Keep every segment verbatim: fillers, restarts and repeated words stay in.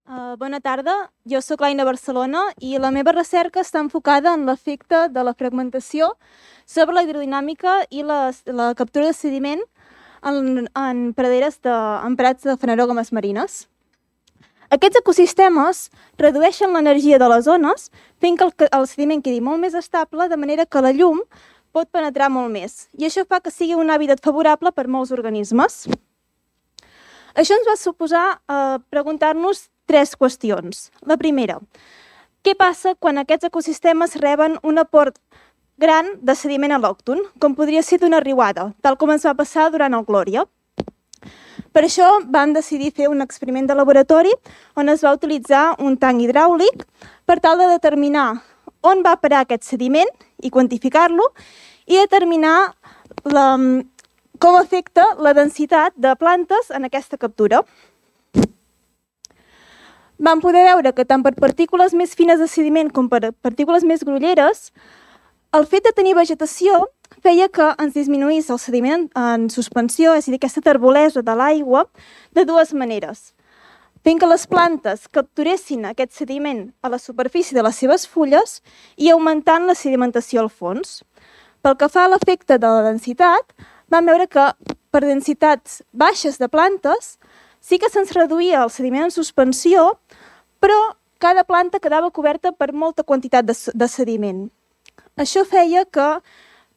Uh, bona tarda, jo sóc l'Aina Barcelona i la meva recerca està enfocada en l'efecte de la fragmentació sobre la hidrodinàmica i la, la captura de sediment en, en praderes de, en prats de fanerògames marines. Aquests ecosistemes redueixen l'energia de les zones, fent que el, el sediment quedi molt més estable, de manera que la llum pot penetrar molt més. I això fa que sigui un hàbitat favorable per molts organismes. Això ens va suposar eh, preguntar-nos tres qüestions. La primera, què passa quan aquests ecosistemes reben un aport gran de sediment al·lòcton, com podria ser d'una riuada, tal com ens va passar durant el Glòria? Per això vam decidir fer un experiment de laboratori on es va utilitzar un tanc hidràulic per tal de determinar on va parar aquest sediment i quantificar-lo i determinar la, com afecta la densitat de plantes en aquesta captura. Vam poder veure que tant per partícules més fines de sediment com per partícules més grolleres, el fet de tenir vegetació feia que ens disminuís el sediment en suspensió, és a dir, aquesta terbolesa de l'aigua, de dues maneres. Fent que les plantes capturessin aquest sediment a la superfície de les seves fulles i augmentant la sedimentació al fons. Pel que fa a l'efecte de la densitat, vam veure que per densitats baixes de plantes sí que se'ns reduïa el sediment en suspensió, però cada planta quedava coberta per molta quantitat de, de sediment. Això feia que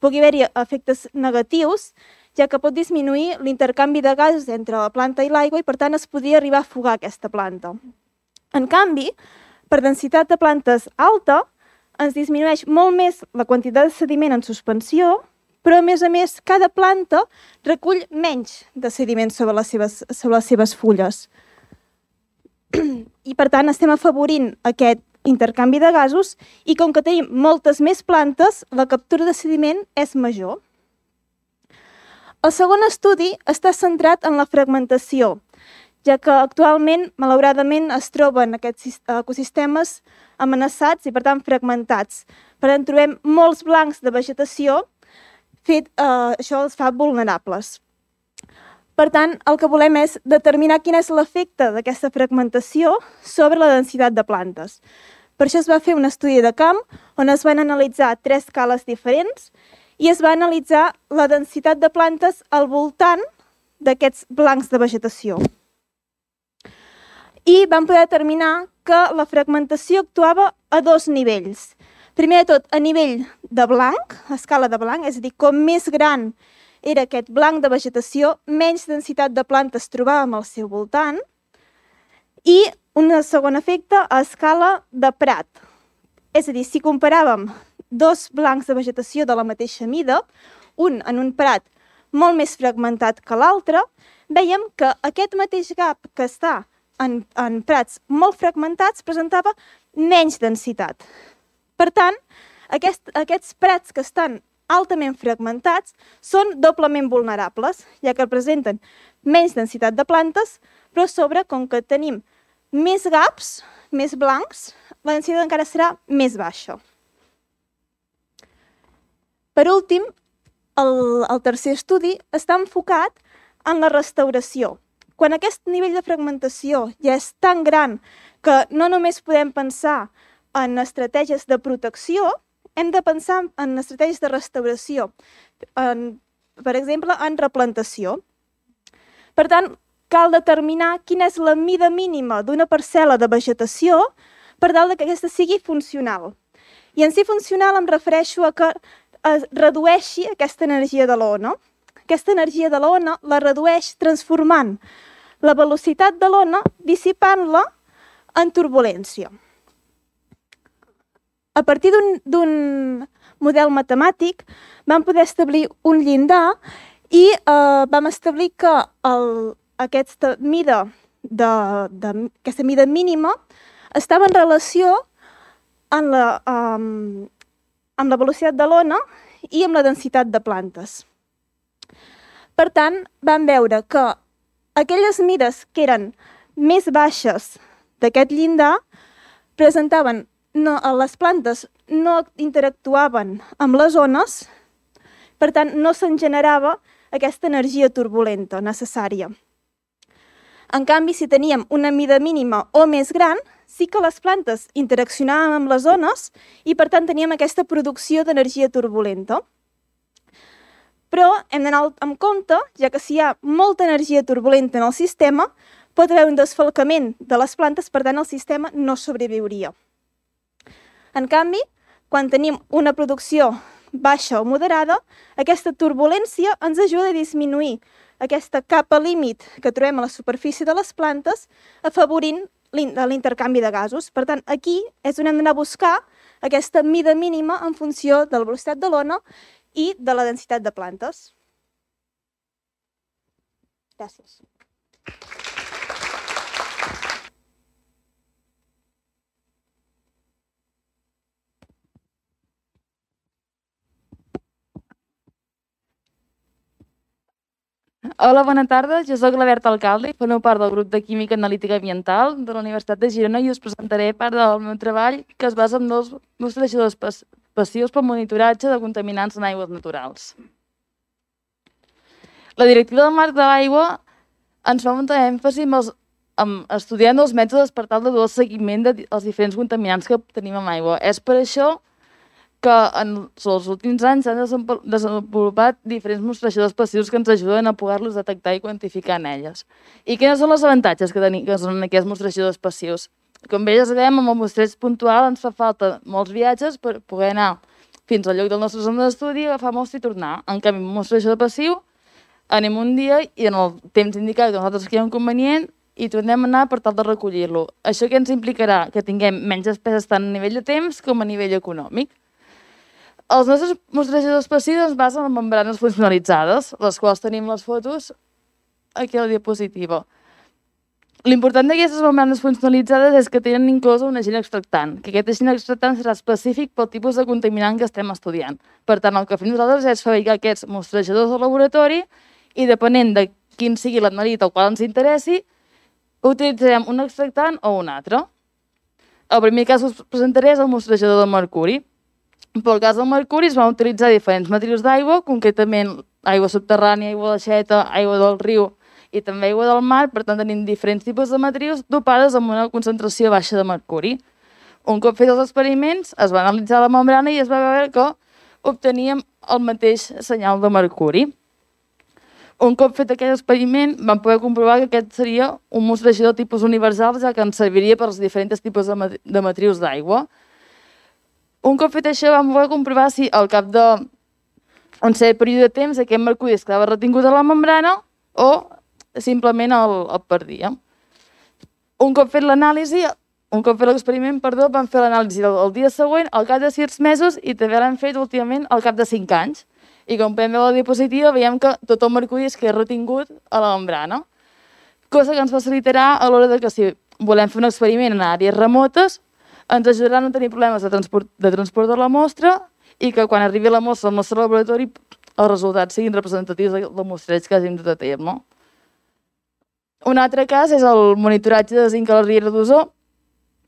pugui haver-hi efectes negatius, ja que pot disminuir l'intercanvi de gasos entre la planta i l'aigua i, per tant, es podria arribar a afogar aquesta planta. En canvi, per densitat de plantes alta, ens disminueix molt més la quantitat de sediment en suspensió, però, a més a més, cada planta recull menys de sediment sobre les seves, sobre les seves fulles. I, per tant, estem afavorint aquest intercanvi de gasos i, com que tenim moltes més plantes, la captura de sediment és major. El segon estudi està centrat en la fragmentació, ja que actualment, malauradament, es troben aquests ecosistemes amenaçats i, per tant, fragmentats. Per tant, trobem molts blancs de vegetació. Fet, eh, això els fa vulnerables. Per tant, el que volem és determinar quin és l'efecte d'aquesta fragmentació sobre la densitat de plantes. Per això es va fer un estudi de camp on es van analitzar tres escales diferents i es va analitzar la densitat de plantes al voltant d'aquests blancs de vegetació. I vam poder determinar que la fragmentació actuava a dos nivells. Primer de tot, a nivell de blanc, a escala de blanc, és a dir, com més gran era aquest blanc de vegetació, menys densitat de plantes trobàvem al seu voltant. I un segon efecte a escala de prat. És a dir, si comparàvem dos blancs de vegetació de la mateixa mida, un en un prat molt més fragmentat que l'altre, veiem que aquest mateix gap que està en, en prats molt fragmentats presentava menys densitat. Per tant, aquest, aquests prats que estan altament fragmentats són doblement vulnerables, ja que presenten menys densitat de plantes, però a sobre, com que tenim més gaps, més blancs, la densitat encara serà més baixa. Per últim, el, el tercer estudi està enfocat en la restauració. Quan aquest nivell de fragmentació ja és tan gran que no només podem pensar en estratègies de protecció, hem de pensar en estratègies de restauració, en, per exemple, en replantació. Per tant, cal determinar quina és la mida mínima d'una parcel·la de vegetació per tal que aquesta sigui funcional. I en si funcional em refereixo a que es redueixi aquesta energia de l'ona. Aquesta energia de l'ona la redueix transformant la velocitat de l'ona, dissipant-la en turbulència. A partir d'un model matemàtic vam poder establir un llindar i eh, vam establir que el, aquesta, mida de, de, aquesta mida mínima estava en relació amb la, um, amb la velocitat de l'ona i amb la densitat de plantes. Per tant, vam veure que aquelles mides que eren més baixes d'aquest llindar presentaven No, les plantes no interactuaven amb les ones, per tant, no se'n generava aquesta energia turbulenta necessària. En canvi, si teníem una mida mínima o més gran, sí que les plantes interaccionaven amb les ones i, per tant, teníem aquesta producció d'energia turbulenta. Però hem d'anar amb compte, ja que si hi ha molta energia turbulenta en el sistema, pot haver un desfalcament de les plantes, per tant, el sistema no sobreviuria. En canvi, quan tenim una producció baixa o moderada, aquesta turbulència ens ajuda a disminuir aquesta capa límit que trobem a la superfície de les plantes, afavorint l'intercanvi de gasos. Per tant, aquí és on hem d'anar a buscar aquesta mida mínima en funció de la velocitat de l'ona i de la densitat de plantes. Gràcies. Hola, bona tarda. Jo soc la Berta Alcalde i formo part del grup de Química Analítica Ambiental de la Universitat de Girona i us presentaré part del meu treball que es basa en dos mostrejadors passius per monitoratge de contaminants en aigües naturals. La directiva del marc de l'aigua ens fa molta èmfasi en estudiar els mètodes per tal de dur el seguiment dels diferents contaminants que tenim en aigua. És per això que en els últims anys s'han desenvolupat diferents mostrejadors passius que ens ajuden a poder-los detectar i quantificar en elles. I quins són els avantatges que tenim que són aquests mostrejadors passius? Com bé ja sabem, amb el mostreig puntual ens fa falta molts viatges per poder anar fins al lloc del nostre zona d'estudi, agafar mostra i tornar. En canvi, amb un mostrejador passiu, anem un dia i en el temps indicat que nosaltres creiem convenient i tornem a anar per tal de recollir-lo. Això què ens implicarà? Que tinguem menys despeses tant a nivell de temps com a nivell econòmic. Els nostres mostrejadors passius es basen en membranes funcionalitzades, les quals tenim les fotos aquí a la diapositiva. L'important d'aquestes membranes funcionalitzades és que tenen inclosa un agent extractant, que aquest agent extractant serà específic pel tipus de contaminant que estem estudiant. Per tant, el que fem nosaltres és fabricar aquests mostrejadors al laboratori i, depenent de quin sigui l'analit al qual ens interessi, utilitzarem un extractant o un altre. El primer cas que us presentaré és el mostrejador de mercuri. Pel cas del mercuri es van utilitzar diferents matrius d'aigua, concretament aigua subterrània, aigua d'aixeta, aigua del riu i també aigua del mar. Per tant, tenim diferents tipus de matrius dopades amb una concentració baixa de mercuri. Un cop fets els experiments, es va analitzar la membrana i es va veure que obteníem el mateix senyal de mercuri. Un cop fet aquest experiment, vam poder comprovar que aquest seria un mostrejador tipus universal, ja que ens serviria per als diferents tipus de matrius d'aigua. Un cop fet això, vam poder comprovar si al cap d'un cert període de temps aquest mercuri es quedava retingut a la membrana o simplement el perdia. Un cop fet l'anàlisi, un cop fet l'experiment, perdó, vam fer l'anàlisi el dia següent, al cap de sis mesos, i també l'hem fet últimament al cap de cinc anys. I com podem veure a la diapositiva, veiem que tot el mercuri es queda retingut a la membrana, cosa que ens facilitarà a l'hora que si volem fer un experiment en àrees remotes, ens ajudarà a no tenir problemes de transport, de transport de la mostra i que quan arribi la mostra al nostre laboratori els resultats siguin representatius del mostreig que hàgim dut a terme. Un altre cas és el monitoratge de zinc a la riera d'Osó.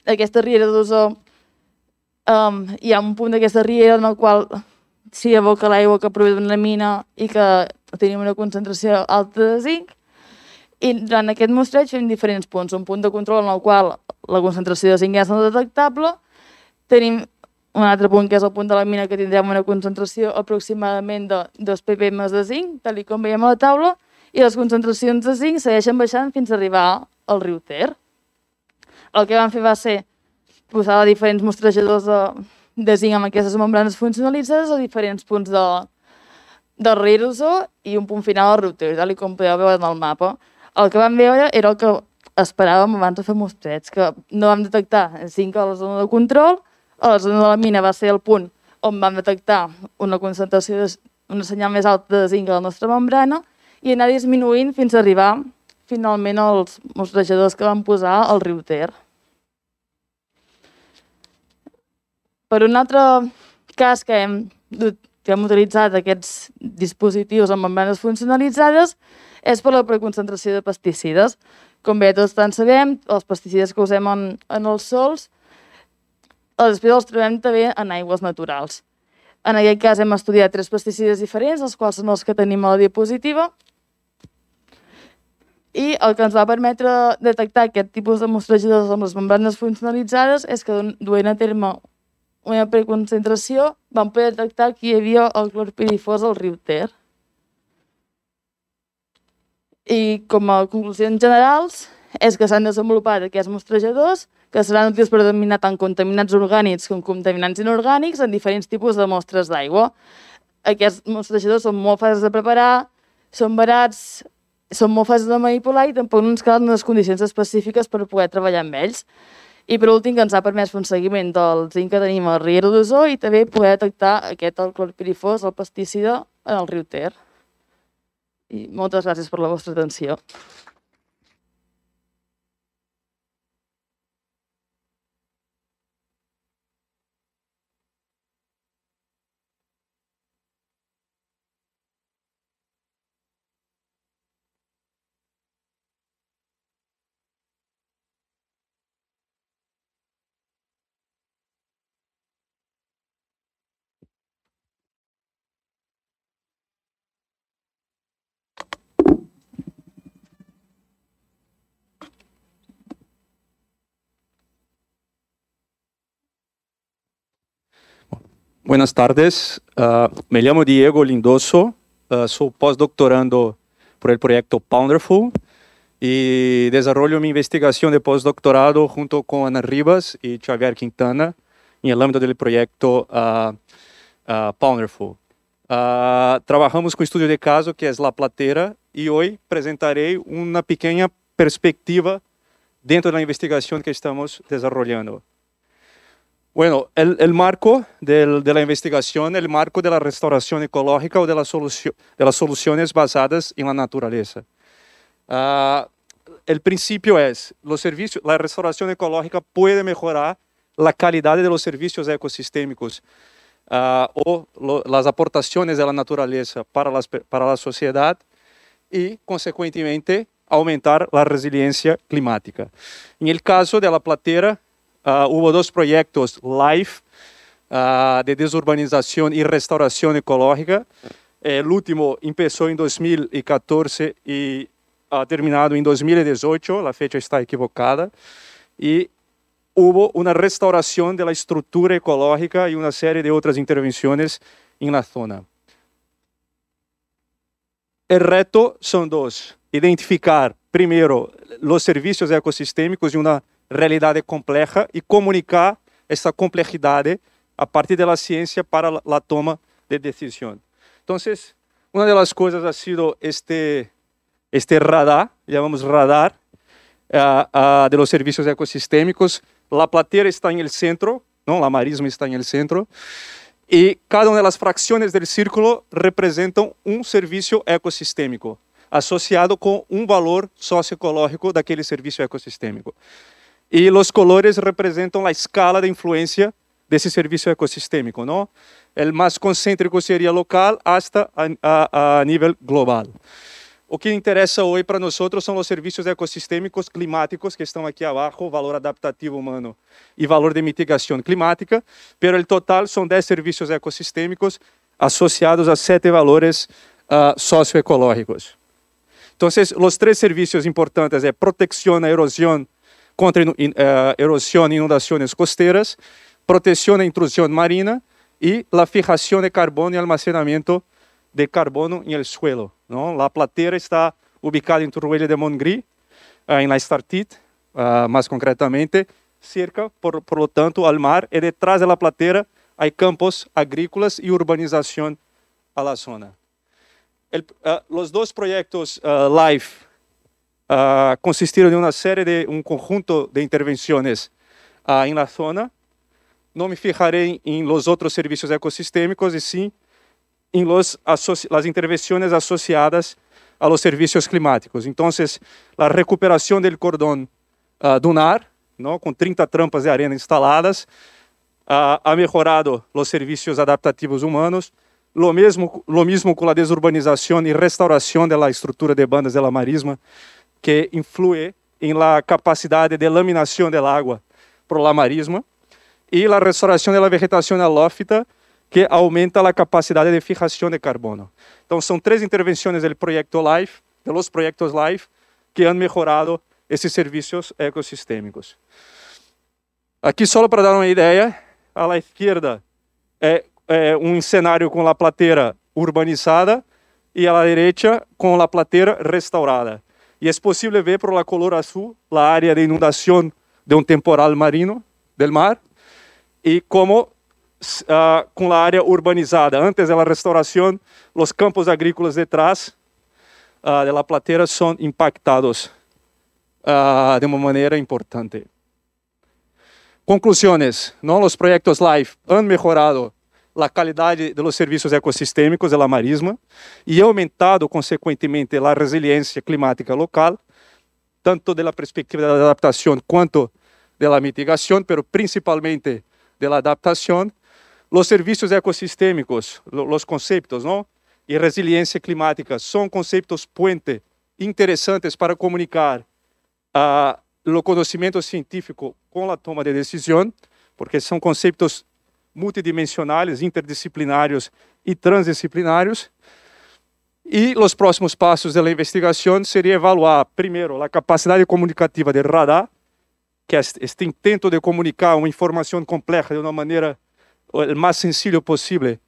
Aquesta riera d'Osó, um, hi ha un punt d'aquesta riera en el qual s'hi aboca l'aigua que prové d'una mina i que tenim una concentració alta de zinc. I durant aquest mostreig fem diferents punts. Un punt de control en el qual la concentració de zinc és no detectable. Tenim un altre punt que és el punt de la mina que tindrem una concentració aproximadament de dos ppm de zinc, tal com veiem a la taula, i les concentracions de zinc segueixen baixant fins a arribar al riu Ter. El que vam fer va ser posar diferents mostrejadors de, de zinc amb aquestes membranes funcionalitzades a diferents punts de, del riu d'Osó i un punt final al riu Ter, tal com podeu veure en el mapa. El que vam veure era el que esperàvem abans de fer mostreig, que no vam detectar zinc a la zona de control, a la zona de la mina va ser el punt on vam detectar una concentració, una senyal més alta de zinc a la nostra membrana i anar disminuint fins a arribar finalment als mostrejadors que vam posar al riu Ter. Per un altre cas que hem, que hem utilitzat aquests dispositius amb membranes funcionalitzades és per la preconcentració de pesticides. Com bé tots tant sabem, els pesticides que usem en, en els sols, després els trobem també en aigües naturals. En aquest cas hem estudiat tres pesticides diferents, els quals són els que tenim a la diapositiva. I el que ens va permetre detectar aquest tipus de mostrejadors amb les membranes funcionalitzades és que, duent a terme una preconcentració, vam poder detectar que hi havia el clorpirifos al riu Ter. I com a conclusions generals és que s'han desenvolupat aquests mostrejadors que seran útils per determinar tant contaminants orgànics com contaminants inorgànics en diferents tipus de mostres d'aigua. Aquests mostrejadors són molt fàcils de preparar, són barats, són molt fàcils de manipular i tampoc no ens calen unes condicions específiques per poder treballar amb ells. I per últim, que ens ha permès fer un seguiment del zinc que tenim al Riera d'Osó i també poder detectar aquest, el clorpirifos, el pesticida, en el riu Ter. I moltes gràcies per la vostra atenció. Buenas tardes, uh, me llamo Diego Lindoso, uh, soy postdoctorando por el proyecto Pounderful y desarrollo mi investigación de postdoctorado junto con Ana Ribas y Xavier Quintana en el ámbito del proyecto uh, uh, Pounderful. Uh, trabajamos con estudio de caso que es La Platera y hoy presentaré una pequeña perspectiva dentro de la investigación que estamos desarrollando. Bueno, el, el marco del, de la investigación, el marco de la restauración ecológica o de, la solución, de las soluciones basadas en la naturaleza. Uh, el principio es, los servicios, la restauración ecológica puede mejorar la calidad de los servicios ecosistémicos uh, o lo, las aportaciones de la naturaleza para, las, para la sociedad y, consecuentemente, aumentar la resiliencia climática. En el caso de La Platera, Uh, hubo dos proyectos LIFE uh, de desurbanización y restauración ecológica. El último empezó en dos mil catorce y ha terminado en dos mil dieciocho, la fecha está equivocada. Y hubo una restauración de la estructura ecológica y una serie de otras intervenciones en la zona. El reto son dos: identificar primero los servicios ecosistémicos y una realidad compleja y comunicar esta complejidad a partir de la ciencia para la, la toma de decisión. Entonces, una de las cosas ha sido este, este radar, llamamos radar, uh, uh, de los servicios ecosistémicos. La Platera está en el centro, ¿no? La marisma está en el centro, y cada una de las fracciones del círculo representan un servicio ecosistémico asociado con un valor socioecológico de aquel servicio ecosistémico. Y los colores representan la escala de influencia de ese servicio ecosistémico, ¿no? El más concéntrico sería local hasta a, a, a nivel global. O que interesa hoy para nosotros son los servicios ecosistémicos climáticos que están aquí abajo, valor adaptativo humano y valor de mitigación climática, pero el total son diez servicios ecosistémicos asociados a siete valores uh, socioecológicos. Entonces, los tres servicios importantes son protección a erosión, contra uh, erosión e inundaciones costeras, protección a intrusión marina y la fijación de carbono y almacenamiento de carbono en el suelo, ¿no? La Platera está ubicada en Torroella de Montgrí, uh, en la Estartit, uh, más concretamente, cerca, por, por lo tanto, al mar, y detrás de La Platera hay campos agrícolas y urbanización a la zona. El, uh, los dos proyectos uh, LIFE Uh, consistieron en una serie de un conjunto de intervenciones uh, en la zona. No me fijaré en, en los otros servicios ecosistémicos y sí en los las intervenciones asociadas a los servicios climáticos. Entonces, la recuperación del cordón uh, dunar, ¿no? Con treinta trampas de arena instaladas, uh, ha mejorado los servicios adaptativos humanos. Lo mismo, lo mismo con la desurbanización y restauración de la estructura de bandas de la marisma, que influye en la capacidad de laminación del agua por la marisma, y la restauración de la vegetación halófita, que aumenta la capacidad de fijación de carbono. Entonces, son tres intervenciones del proyecto LIFE, de los proyectos LIFE, que han mejorado esses serviços ecossistêmicos. Aqui, só para dar uma ideia, à la izquierda é, é um cenário com a plateira urbanizada e à la derecha com a plateira restaurada. E é possível ver por la color azul a área de inundação de um temporal marino del mar e como uh, com a área urbanizada. Antes da restauração, os campos agrícolas detrás uh, de la plateira são impactados uh, de uma maneira importante. Conclusões. ¿No? Os projetos LIFE han mejorado a qualidade dos serviços ecossistêmicos da marisma e aumentado, consequentemente, a resiliência climática local, tanto da perspectiva da adaptação quanto da mitigação, mas principalmente da adaptação. Os serviços ecossistêmicos, os conceitos, não? E resiliência climática são conceitos puente interessantes para comunicar uh, o conhecimento científico com a toma de decisão, porque são conceitos multidimensionais, interdisciplinários e transdisciplinários. E os próximos passos da investigação seria evaluar, primeiro, a capacidade comunicativa do radar, que é este intento de comunicar uma informação complexa de uma maneira o mais sencillo possível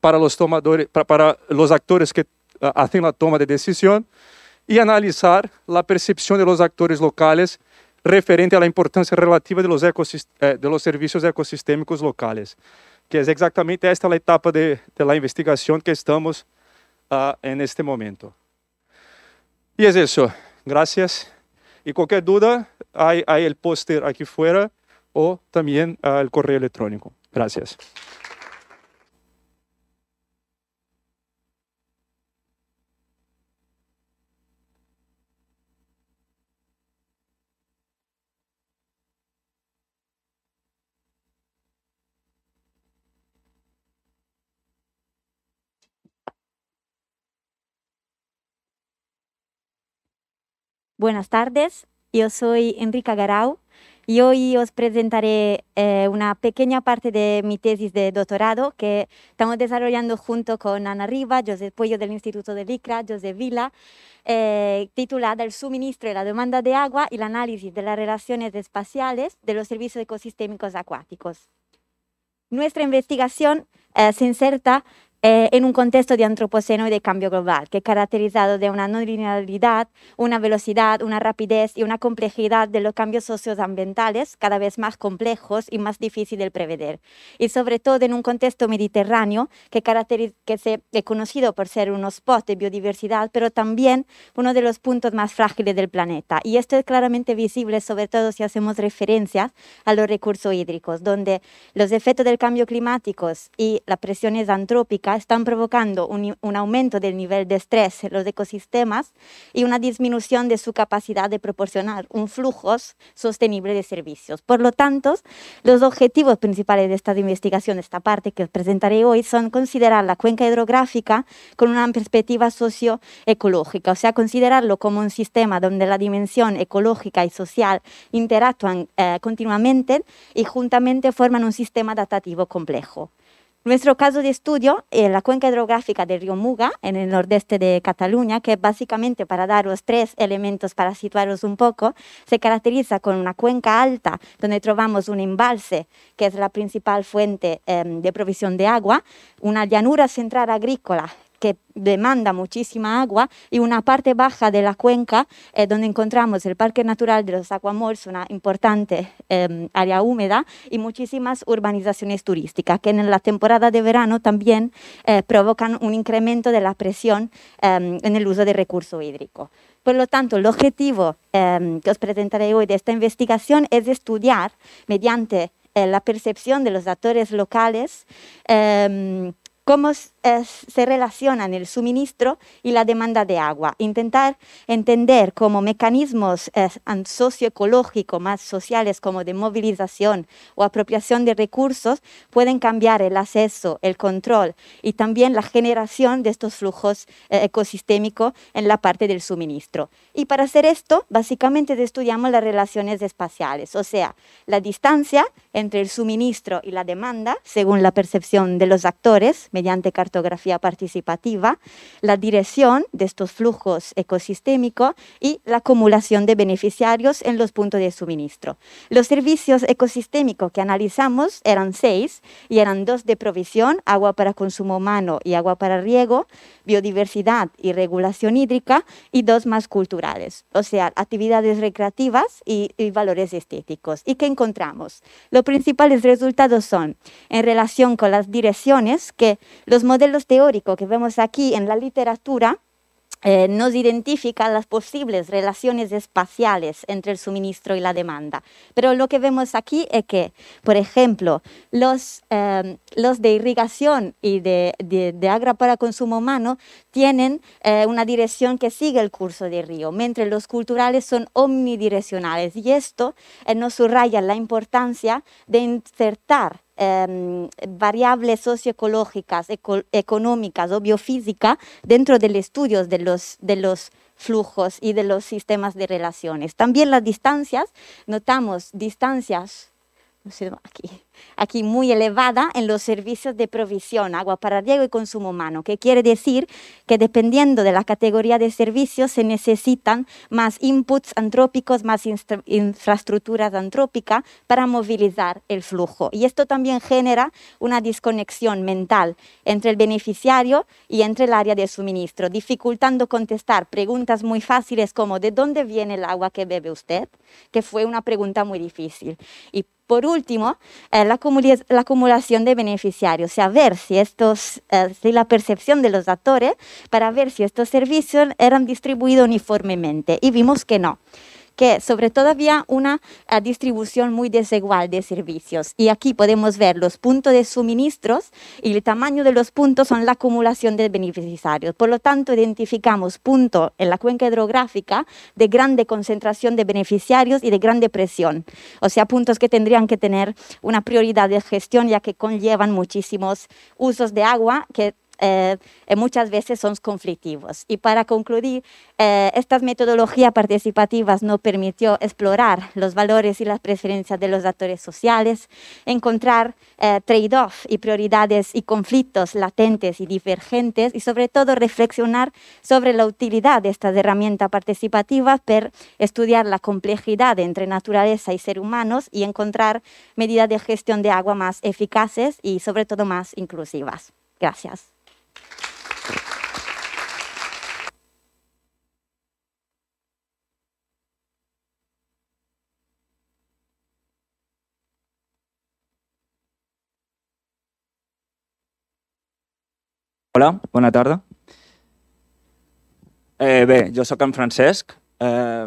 para os tomadores, para, para os atores que fazem a toma de decisão, e analisar a percepção dos atores locais referente à importância relativa de los, eh, de los serviços ecossistêmicos locais, que é exatamente esta a etapa de, de la investigação que estamos uh, en este momento. E é isso. Gracias. E qualquer dúvida, há o póster aqui fora ou também o uh, correio eletrônico. Gracias. Buenas tardes, yo soy Enrica Garau y hoy os presentaré eh, una pequeña parte de mi tesis de doctorado que estamos desarrollando junto con Ana Riva, José Puello del Instituto de Licra, José Vila, eh, titulada El suministro y la demanda de agua y el análisis de las relaciones espaciales de los servicios ecosistémicos acuáticos. Nuestra investigación eh, se inserta Eh, en un contexto de antropoceno y de cambio global, que es caracterizado de una no linealidad, una velocidad, una rapidez y una complejidad de los cambios socioambientales cada vez más complejos y más difíciles de prever. Y sobre todo en un contexto mediterráneo que, que se, es conocido por ser un spot de biodiversidad, pero también uno de los puntos más frágiles del planeta. Y esto es claramente visible, sobre todo si hacemos referencias a los recursos hídricos, donde los efectos del cambio climático y las presiones antrópicas están provocando un, un aumento del nivel de estrés en los ecosistemas y una disminución de su capacidad de proporcionar un flujo sostenible de servicios. Por lo tanto, los objetivos principales de esta investigación, esta parte que os presentaré hoy, son considerar la cuenca hidrográfica con una perspectiva socioecológica, o sea, considerarlo como un sistema donde la dimensión ecológica y social interactúan eh, continuamente y juntamente forman un sistema adaptativo complejo. Nuestro caso de estudio es la cuenca hidrográfica del río Muga, en el nordeste de Cataluña, que básicamente, para daros tres elementos para situaros un poco, se caracteriza con una cuenca alta, donde trovamos un embalse, que es la principal fuente eh, de provisión de agua, una llanura central agrícola, que demanda muchísima agua, y una parte baja de la cuenca eh, donde encontramos el Parque Natural de los Aquamolls, una importante eh, área húmeda, y muchísimas urbanizaciones turísticas que en la temporada de verano también eh, provocan un incremento de la presión eh, en el uso de recurso hídrico. Por lo tanto, el objetivo eh, que os presentaré hoy de esta investigación es estudiar, mediante eh, la percepción de los actores locales, eh, cómo eh, se relacionan el suministro y la demanda de agua. Intentar entender cómo mecanismos eh, socioecológicos más sociales como de movilización o apropiación de recursos pueden cambiar el acceso, el control y también la generación de estos flujos eh, ecosistémicos en la parte del suministro. Y para hacer esto, básicamente estudiamos las relaciones espaciales, o sea, la distancia entre el suministro y la demanda, según la percepción de los actores, mediante cartografía participativa, la dirección de estos flujos ecosistémicos y la acumulación de beneficiarios en los puntos de suministro. Los servicios ecosistémicos que analizamos eran seis y eran dos de provisión, agua para consumo humano y agua para riego, biodiversidad y regulación hídrica, y dos más culturales, o sea, actividades recreativas y, y valores estéticos. ¿Y qué encontramos? Los principales resultados son, en relación con las direcciones, que los modelos teóricos que vemos aquí en la literatura Eh, nos identifican las posibles relaciones espaciales entre el suministro y la demanda. Pero lo que vemos aquí es que, por ejemplo, los, eh, los de irrigación y de, de, de agua para consumo humano tienen eh, una dirección que sigue el curso del río, mientras los culturales son omnidireccionales. Y esto eh, nos subraya la importancia de insertar Eh, variables socioecológicas, eco, económicas o biofísicas dentro del estudio de los, de los flujos y de los sistemas de relaciones. También las distancias, notamos distancias, no sé, aquí, aquí muy elevada en los servicios de provisión, agua para riego y consumo humano, que quiere decir que dependiendo de la categoría de servicios se necesitan más inputs antrópicos, más infraestructuras antrópicas para movilizar el flujo. Y esto también genera una desconexión mental entre el beneficiario y entre el área de suministro, dificultando contestar preguntas muy fáciles como ¿de dónde viene el agua que bebe usted?, que fue una pregunta muy difícil. Y por último, eh, la, la acumulación de beneficiarios, o sea, ver si, estos, eh, si la percepción de los actores para ver si estos servicios eran distribuidos uniformemente. Y vimos que no, que sobre todo había una uh, distribución muy desigual de servicios. Y aquí podemos ver los puntos de suministros y el tamaño de los puntos son la acumulación de beneficiarios. Por lo tanto, identificamos puntos en la cuenca hidrográfica de grande concentración de beneficiarios y de grande presión. O sea, puntos que tendrían que tener una prioridad de gestión ya que conllevan muchísimos usos de agua que Eh, muchas veces son conflictivos. Y para concluir, eh, estas metodologías participativas nos permitió explorar los valores y las preferencias de los actores sociales, encontrar eh, trade-off y prioridades y conflictos latentes y divergentes y sobre todo reflexionar sobre la utilidad de estas herramientas participativas para estudiar la complejidad entre naturaleza y seres humanos y encontrar medidas de gestión de agua más eficaces y sobre todo más inclusivas. Gracias. Hola, bona tarda. Eh, bé, jo sóc en Francesc eh,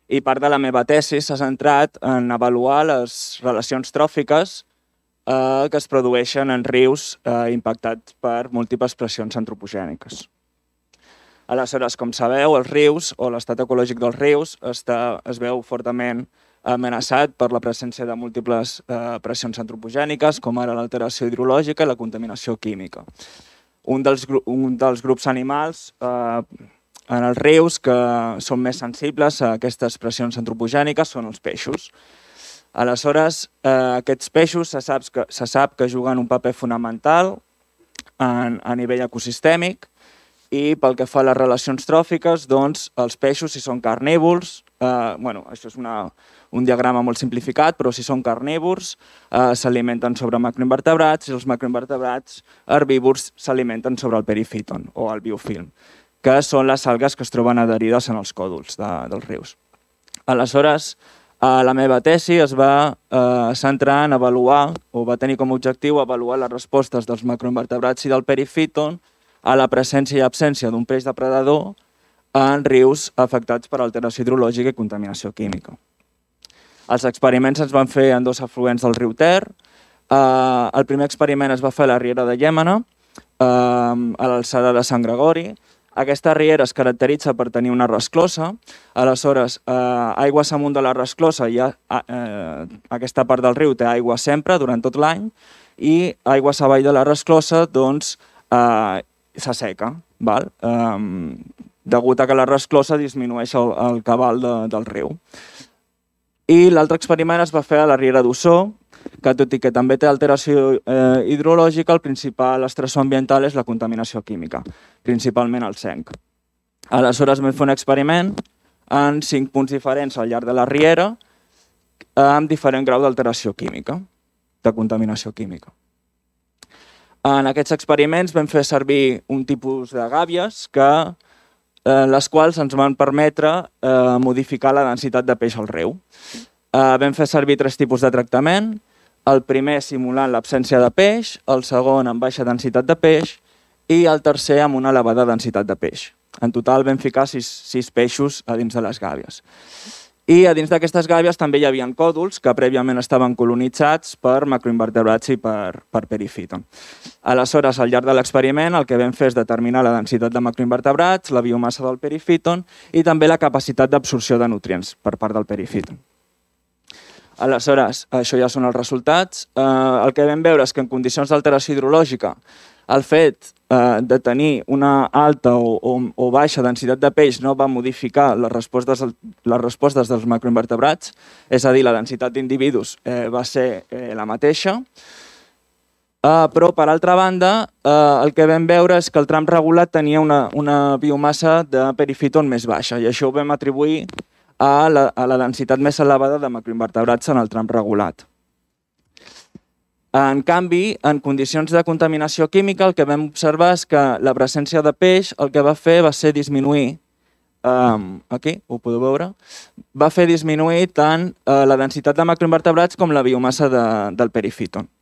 i part de la meva tesi s'ha centrat en avaluar les relacions tròfiques eh, que es produeixen en rius eh, impactats per múltiples pressions antropogèniques. Aleshores, com sabeu, els rius o l'estat ecològic dels rius està, es veu fortament amenaçat per la presència de múltiples eh, pressions antropogèniques, com ara l'alteració hidrològica i la contaminació química. Un dels, un dels grups animals eh, en els rius que són més sensibles a aquestes pressions antropogèniques són els peixos. Aleshores, eh, aquests peixos se sap, que, se sap que juguen un paper fonamental en, a nivell ecosistèmic i pel que fa a les relacions tròfiques, doncs els peixos, si són carnívors, eh, bueno, això és una, un diagrama molt simplificat, però si són carnívors, eh, s'alimenten sobre macroinvertebrats i els macroinvertebrats herbívors s'alimenten sobre el perifíton o el biofilm, que són les algues que es troben adherides en els còdols de, dels rius. Aleshores, eh, la meva tesi es va eh, centrar en avaluar, o va tenir com a objectiu avaluar les respostes dels macroinvertebrats i del perifíton a la presència i absència d'un peix depredador en rius afectats per alteració hidrològica i contaminació química. Els experiments es van fer en dos afluents del riu Ter. Eh, el primer experiment es va fer a la riera de Llémena, eh, a l'alçada de Sant Gregori. Aquesta riera es caracteritza per tenir una resclosa. Aleshores, eh, aigües amunt de la resclosa, ha, eh, aquesta part del riu té aigua sempre, durant tot l'any, i aigües avall de la resclosa, doncs, eh, s'asseca, val? Eh, degut a que la resclosa disminueix el, el cabal de, del riu. I l'altre experiment es va fer a la riera d'Ossó, que tot i que també té alteració eh, hidrològica, el principal estressor ambiental és la contaminació química, principalment el zinc. Aleshores vam fer un experiment en cinc punts diferents al llarg de la riera amb diferent grau d'alteració química, de contaminació química. En aquests experiments vam fer servir un tipus de gàbies que, eh, les quals ens van permetre eh, modificar la densitat de peix al riu. Eh, vam fer servir tres tipus de tractament, el primer simulant l'absència de peix, el segon amb baixa densitat de peix i el tercer amb una elevada densitat de peix. En total vam ficar sis, sis peixos a dins de les gàbies. I a dins d'aquestes gàbies també hi havia còdols que prèviament estaven colonitzats per macroinvertebrats i per, per perifíton. Aleshores, al llarg de l'experiment, el que vam fer és determinar la densitat de macroinvertebrats, la biomassa del perifíton i també la capacitat d'absorció de nutrients per part del perifíton. Aleshores, això ja són els resultats. Eh, el que vam veure és que en condicions d'alteració hidrològica el fet eh, de tenir una alta o, o, o baixa densitat de peix no va modificar les respostes, les respostes dels macroinvertebrats, és a dir, la densitat d'individus eh, va ser eh, la mateixa, eh, però per altra banda eh, el que vam veure és que el tram regulat tenia una, una biomassa de perifíton més baixa i això ho vam atribuir a la, a la densitat més elevada de macroinvertebrats en el tram regulat. En canvi, en condicions de contaminació química, el que vam observar és que la presència de peix el que va fer va ser disminuir, um, aquí ho podeu veure, va fer disminuir tant uh, la densitat de macroinvertebrats com la biomassa de, del perifíton.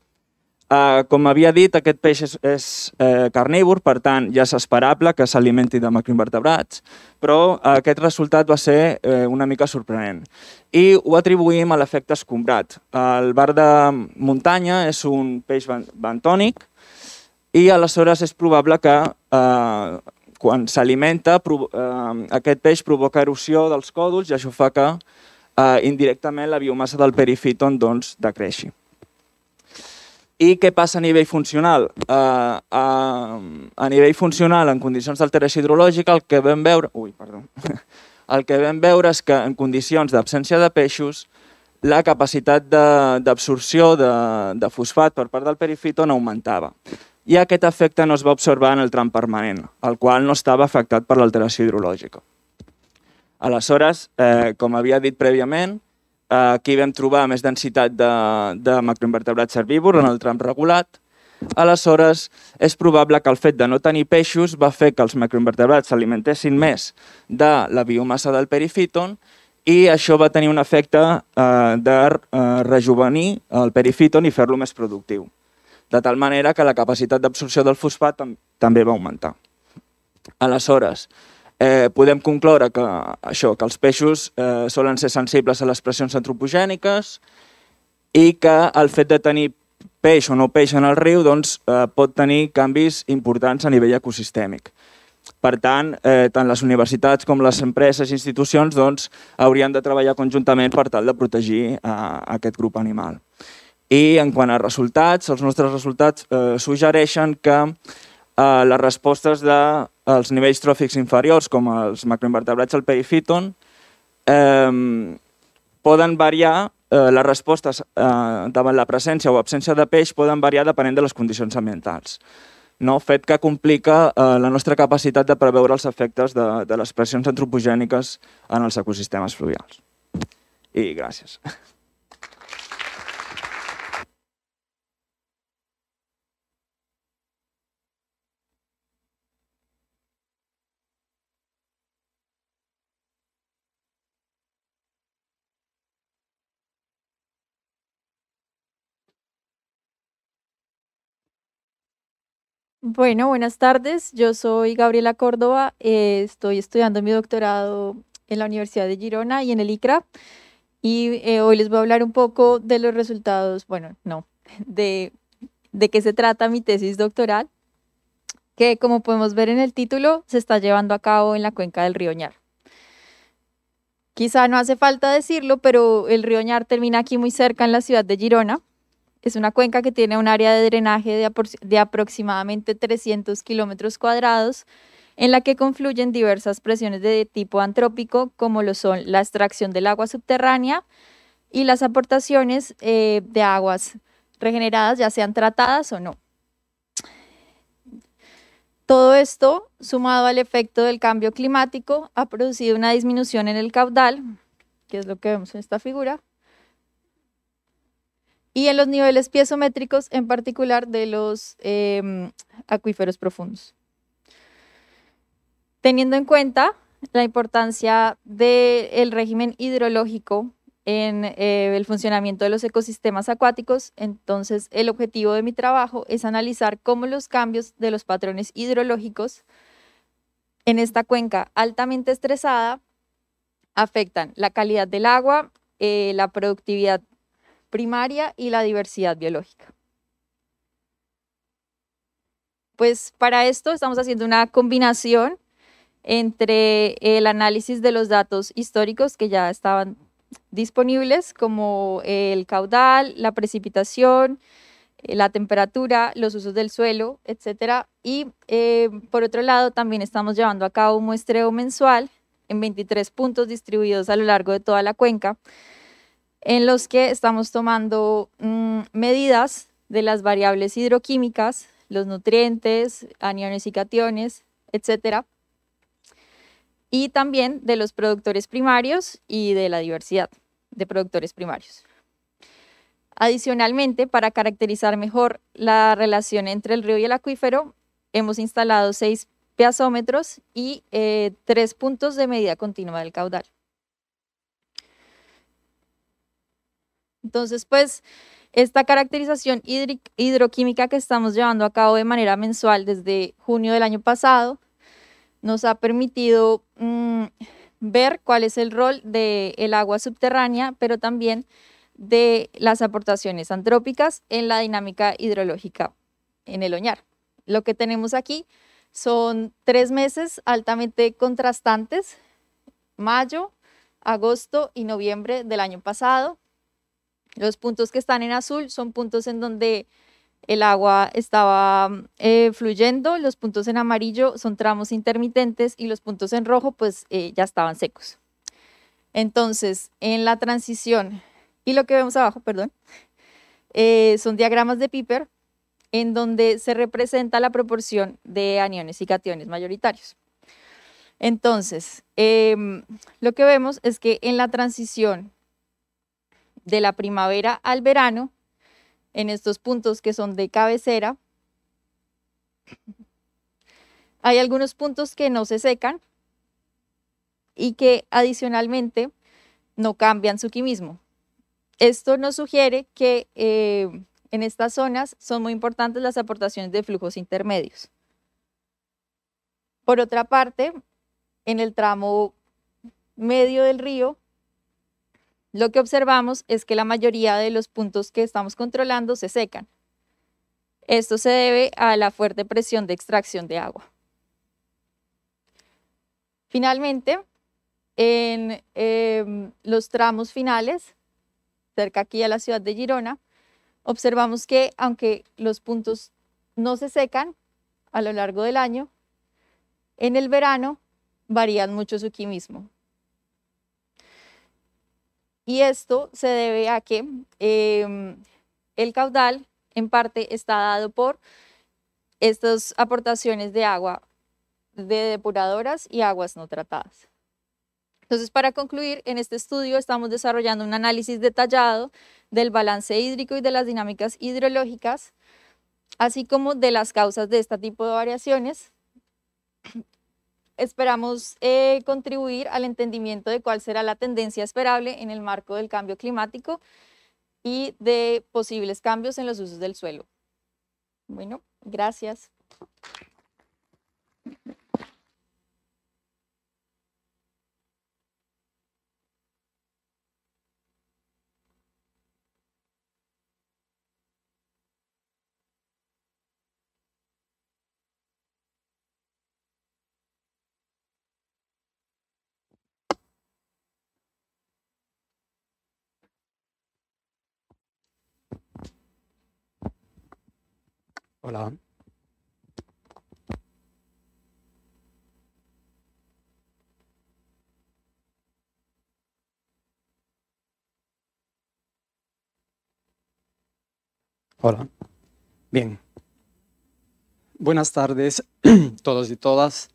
Uh, com havia dit, aquest peix és, és eh, carnívor, per tant ja és esperable que s'alimenti de macroinvertebrats, però uh, aquest resultat va ser eh, una mica sorprenent. I ho atribuïm a l'efecte escombrat. El bar de muntanya és un peix bentònic i aleshores és probable que eh, quan s'alimenta eh, aquest peix provoca erosió dels còdols i això fa que eh, indirectament la biomassa del perifíton doncs, decreixi. I què passa a nivell funcional? Uh, uh, a nivell funcional, en condicions d'alteració hidrològica, el que vam veure... Ui, perdó. El que vam veure és que en condicions d'absència de peixos, la capacitat d'absorció de, de, de fosfat per part del perifíton augmentava. I aquest efecte no es va observar en el tram permanent, el qual no estava afectat per l'alteració hidrològica. Aleshores, eh, com havia dit prèviament, aquí vam trobar més densitat de, de macroinvertebrats herbívors en el tram regulat. Aleshores, és probable que el fet de no tenir peixos va fer que els macroinvertebrats s'alimentessin més de la biomassa del perifíton i això va tenir un efecte eh, de eh, rejuvenir el perifíton i fer-lo més productiu. De tal manera que la capacitat d'absorció del fosfat tam també va augmentar. Aleshores, Eh, podem concloure que, això, que els peixos eh, solen ser sensibles a les pressions antropogèniques i que el fet de tenir peix o no peix en el riu doncs, eh, pot tenir canvis importants a nivell ecosistèmic. Per tant, eh, tant les universitats com les empreses i institucions doncs, haurien de treballar conjuntament per tal de protegir eh, aquest grup animal. I en quant a resultats, els nostres resultats eh, suggereixen que eh, les respostes de els nivells tròfics inferiors, com els macroinvertebrats al perifíton, eh, poden variar, eh, les respostes eh, davant la presència o absència de peix poden variar depenent de les condicions ambientals. No? Fet que complica eh, la nostra capacitat de preveure els efectes de, de les pressions antropogèniques en els ecosistemes fluvials. I gràcies. Bueno, buenas tardes. Yo soy Gabriela Córdoba. Eh, estoy estudiando mi doctorado en la Universidad de Girona y en el I C R A. Y eh, hoy les voy a hablar un poco de los resultados, bueno, no, de, de qué se trata mi tesis doctoral, que como podemos ver en el título, se está llevando a cabo en la cuenca del río Ñar. Quizá no hace falta decirlo, pero el río Ñar termina aquí muy cerca en la ciudad de Girona. Es una cuenca que tiene un área de drenaje de, apro de aproximadamente trescientos kilómetros cuadrados, en la que confluyen diversas presiones de tipo antrópico, como lo son la extracción del agua subterránea y las aportaciones eh, de aguas regeneradas, ya sean tratadas o no. Todo esto, sumado al efecto del cambio climático, ha producido una disminución en el caudal, que es lo que vemos en esta figura, y en los niveles piezométricos, en particular de los eh, acuíferos profundos. Teniendo en cuenta la importancia del régimen hidrológico en eh, el funcionamiento de los ecosistemas acuáticos, entonces el objetivo de mi trabajo es analizar cómo los cambios de los patrones hidrológicos en esta cuenca altamente estresada afectan la calidad del agua, eh, la productividad primaria y la diversidad biológica. Pues para esto estamos haciendo una combinación entre el análisis de los datos históricos que ya estaban disponibles, como el caudal, la precipitación, la temperatura, los usos del suelo, etcétera. Y eh, por otro lado, también estamos llevando a cabo un muestreo mensual en veintitrés puntos distribuidos a lo largo de toda la cuenca, en los que estamos tomando mmm, medidas de las variables hidroquímicas, los nutrientes, aniones y cationes, etcétera, y también de los productores primarios y de la diversidad de productores primarios. Adicionalmente, para caracterizar mejor la relación entre el río y el acuífero, hemos instalado seis piezómetros y eh, tres puntos de medida continua del caudal. Entonces, pues, esta caracterización hidroquímica que estamos llevando a cabo de manera mensual desde junio del año pasado nos ha permitido mmm, ver cuál es el rol del agua subterránea, pero también de las aportaciones antrópicas en la dinámica hidrológica en el Oñar. Lo que tenemos aquí son tres meses altamente contrastantes, mayo, agosto y noviembre del año pasado. Los puntos que están en azul son puntos en donde el agua estaba eh, fluyendo, los puntos en amarillo son tramos intermitentes y los puntos en rojo pues eh, ya estaban secos. Entonces, en la transición, y lo que vemos abajo, perdón, eh, son diagramas de Piper en donde se representa la proporción de aniones y cationes mayoritarios. Entonces, eh, lo que vemos es que en la transición de la primavera al verano, en estos puntos que son de cabecera, hay algunos puntos que no se secan y que adicionalmente no cambian su quimismo. Esto nos sugiere que eh, en estas zonas son muy importantes las aportaciones de flujos intermedios. Por otra parte, en el tramo medio del río, lo que observamos es que la mayoría de los puntos que estamos controlando se secan. Esto se debe a la fuerte presión de extracción de agua. Finalmente, en eh, los tramos finales, cerca aquí a la ciudad de Girona, observamos que aunque los puntos no se secan a lo largo del año, en el verano varían mucho su quimismo. Y esto se debe a que eh, el caudal en parte está dado por estas aportaciones de agua de depuradoras y aguas no tratadas. Entonces, para concluir, en este estudio estamos desarrollando un análisis detallado del balance hídrico y de las dinámicas hidrológicas, así como de las causas de este tipo de variaciones. Esperamos eh, contribuir al entendimiento de cuál será la tendencia esperable en el marco del cambio climático y de posibles cambios en los usos del suelo. Bueno, gracias. Hola. Hola. Bien. Buenas tardes todos y todas.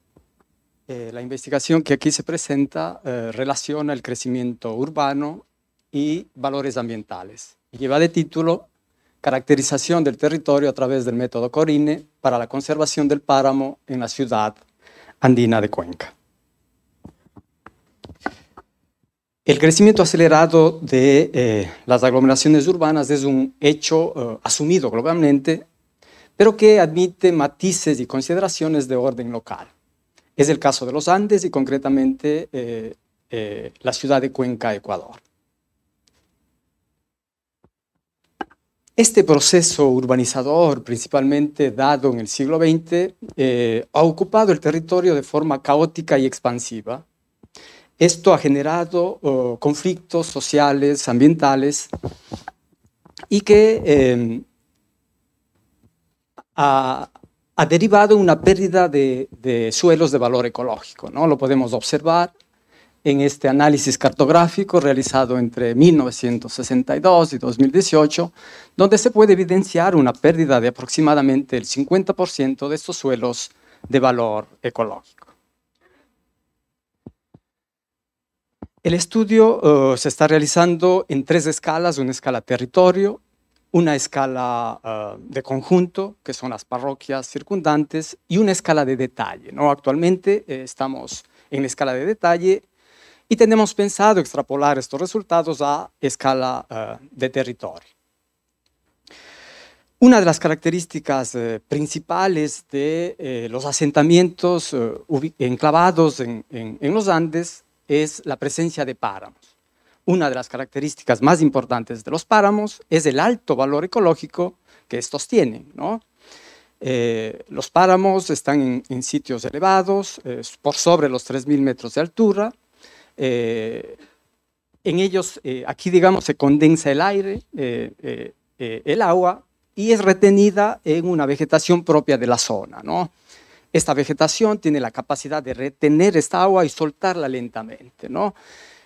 Eh, la investigación que aquí se presenta eh, relaciona el crecimiento urbano y valores ambientales. Y lleva de título Caracterización del territorio a través del método Corine para la conservación del páramo en la ciudad andina de Cuenca. El crecimiento acelerado de eh, las aglomeraciones urbanas es un hecho eh, asumido globalmente, pero que admite matices y consideraciones de orden local. Es el caso de los Andes y concretamente eh, eh, la ciudad de Cuenca, Ecuador. Este proceso urbanizador, principalmente dado en el siglo veinte, eh, ha ocupado el territorio de forma caótica y expansiva. Esto ha generado uh, conflictos sociales, ambientales, y que eh, ha, ha derivado una pérdida de, de suelos de valor ecológico, ¿no? Lo podemos observar en este análisis cartográfico realizado entre mil novecientos sesenta y dos y dos mil dieciocho, donde se puede evidenciar una pérdida de aproximadamente el cincuenta por ciento de estos suelos de valor ecológico. El estudio uh, se está realizando en tres escalas, una escala territorio, una escala uh, de conjunto, que son las parroquias circundantes, y una escala de detalle, ¿no? Actualmente eh, estamos en la escala de detalle y tenemos pensado extrapolar estos resultados a escala uh, de territorio. Una de las características eh, principales de eh, los asentamientos eh, enclavados en, en, en los Andes es la presencia de páramos. Una de las características más importantes de los páramos es el alto valor ecológico que estos tienen, ¿no? Eh, los páramos están en, en sitios elevados, eh, por sobre los tres mil metros de altura. Eh, en ellos, eh, aquí digamos, se condensa el aire, eh, eh, eh, el agua, y es retenida en una vegetación propia de la zona, ¿no? Esta vegetación tiene la capacidad de retener esta agua y soltarla lentamente, ¿no?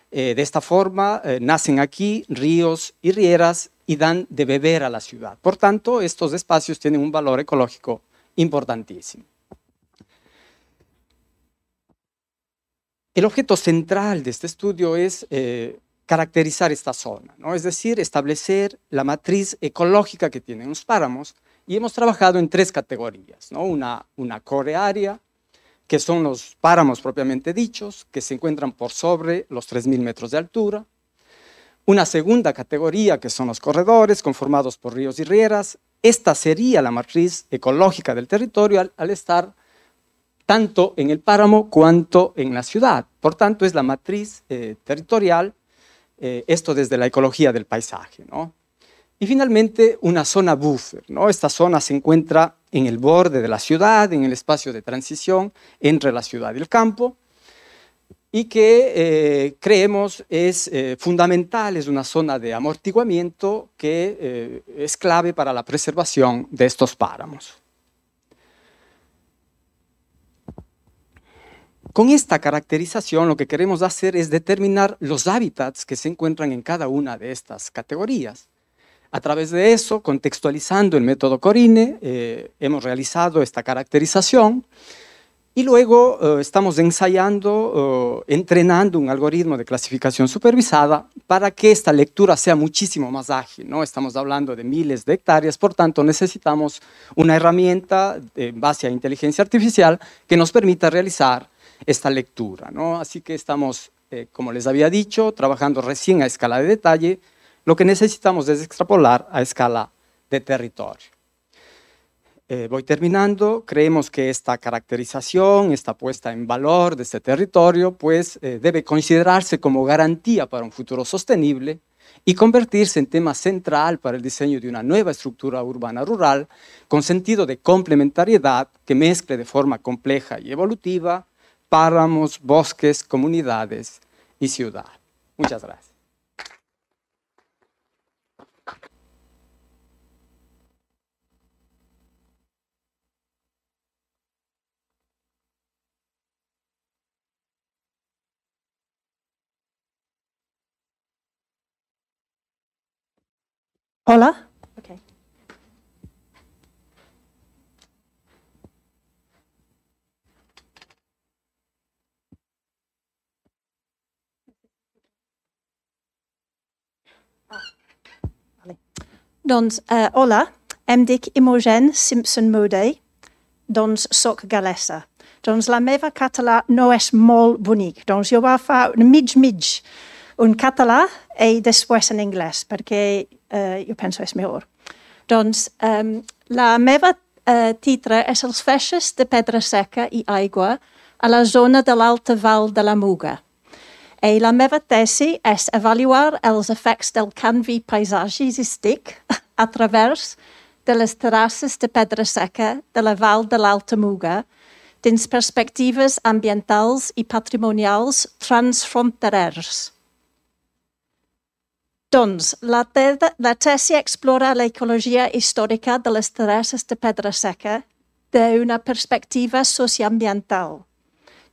Eh, de esta forma eh, nacen aquí ríos y rieras y dan de beber a la ciudad. Por tanto, estos espacios tienen un valor ecológico importantísimo. El objeto central de este estudio es eh, caracterizar esta zona, ¿no? Es decir, establecer la matriz ecológica que tienen los páramos. Y hemos trabajado en tres categorías, ¿no? Una, una core area, que son los páramos propiamente dichos, que se encuentran por sobre los tres mil metros de altura. Una segunda categoría, que son los corredores, conformados por ríos y rieras. Esta sería la matriz ecológica del territorio al, al estar tanto en el páramo cuanto en la ciudad. Por tanto, es la matriz eh, territorial, eh, esto desde la ecología del paisaje, ¿no? Y finalmente, una zona buffer, ¿no? Esta zona se encuentra en el borde de la ciudad, en el espacio de transición entre la ciudad y el campo, y que eh, creemos es eh, fundamental, es una zona de amortiguamiento que eh, es clave para la preservación de estos páramos. Con esta caracterización lo que queremos hacer es determinar los hábitats que se encuentran en cada una de estas categorías. A través de eso, contextualizando el método Corine, eh, hemos realizado esta caracterización y luego eh, estamos ensayando, eh, entrenando un algoritmo de clasificación supervisada para que esta lectura sea muchísimo más ágil, ¿no? Estamos hablando de miles de hectáreas, por tanto necesitamos una herramienta en base a inteligencia artificial que nos permita realizar esta lectura, ¿no? Así que estamos, eh, como les había dicho, trabajando recién a escala de detalle. Lo que necesitamos es extrapolar a escala de territorio. Eh, voy terminando. Creemos que esta caracterización, esta puesta en valor de este territorio, pues eh, debe considerarse como garantía para un futuro sostenible y convertirse en tema central para el diseño de una nueva estructura urbana rural con sentido de complementariedad que mezcle de forma compleja y evolutiva páramos, bosques, comunidades y ciudad. Muchas gracias. Hola. Okay. Doncs, uh, hola, em dic Imogen Simpson Modé, doncs soc galesa. Doncs la meva català no és molt bonic, doncs jo va fer un mig-mig, un català i després en anglès, perquè uh, jo penso és millor. Doncs um, la meva uh, titre és els feixes de pedra seca i aigua a la zona de l'Alta Val de la Muga. I la meva tesi és avaluar els efectes del canvi paisatgístic a través de les terrasses de pedra seca de la Val de l'Alta Muga dins perspectives ambientals i patrimonials transfronterers. Doncs, la, te- la tesi explora l'ecologia històrica de les terrasses de pedra seca d'una perspectiva socioambiental.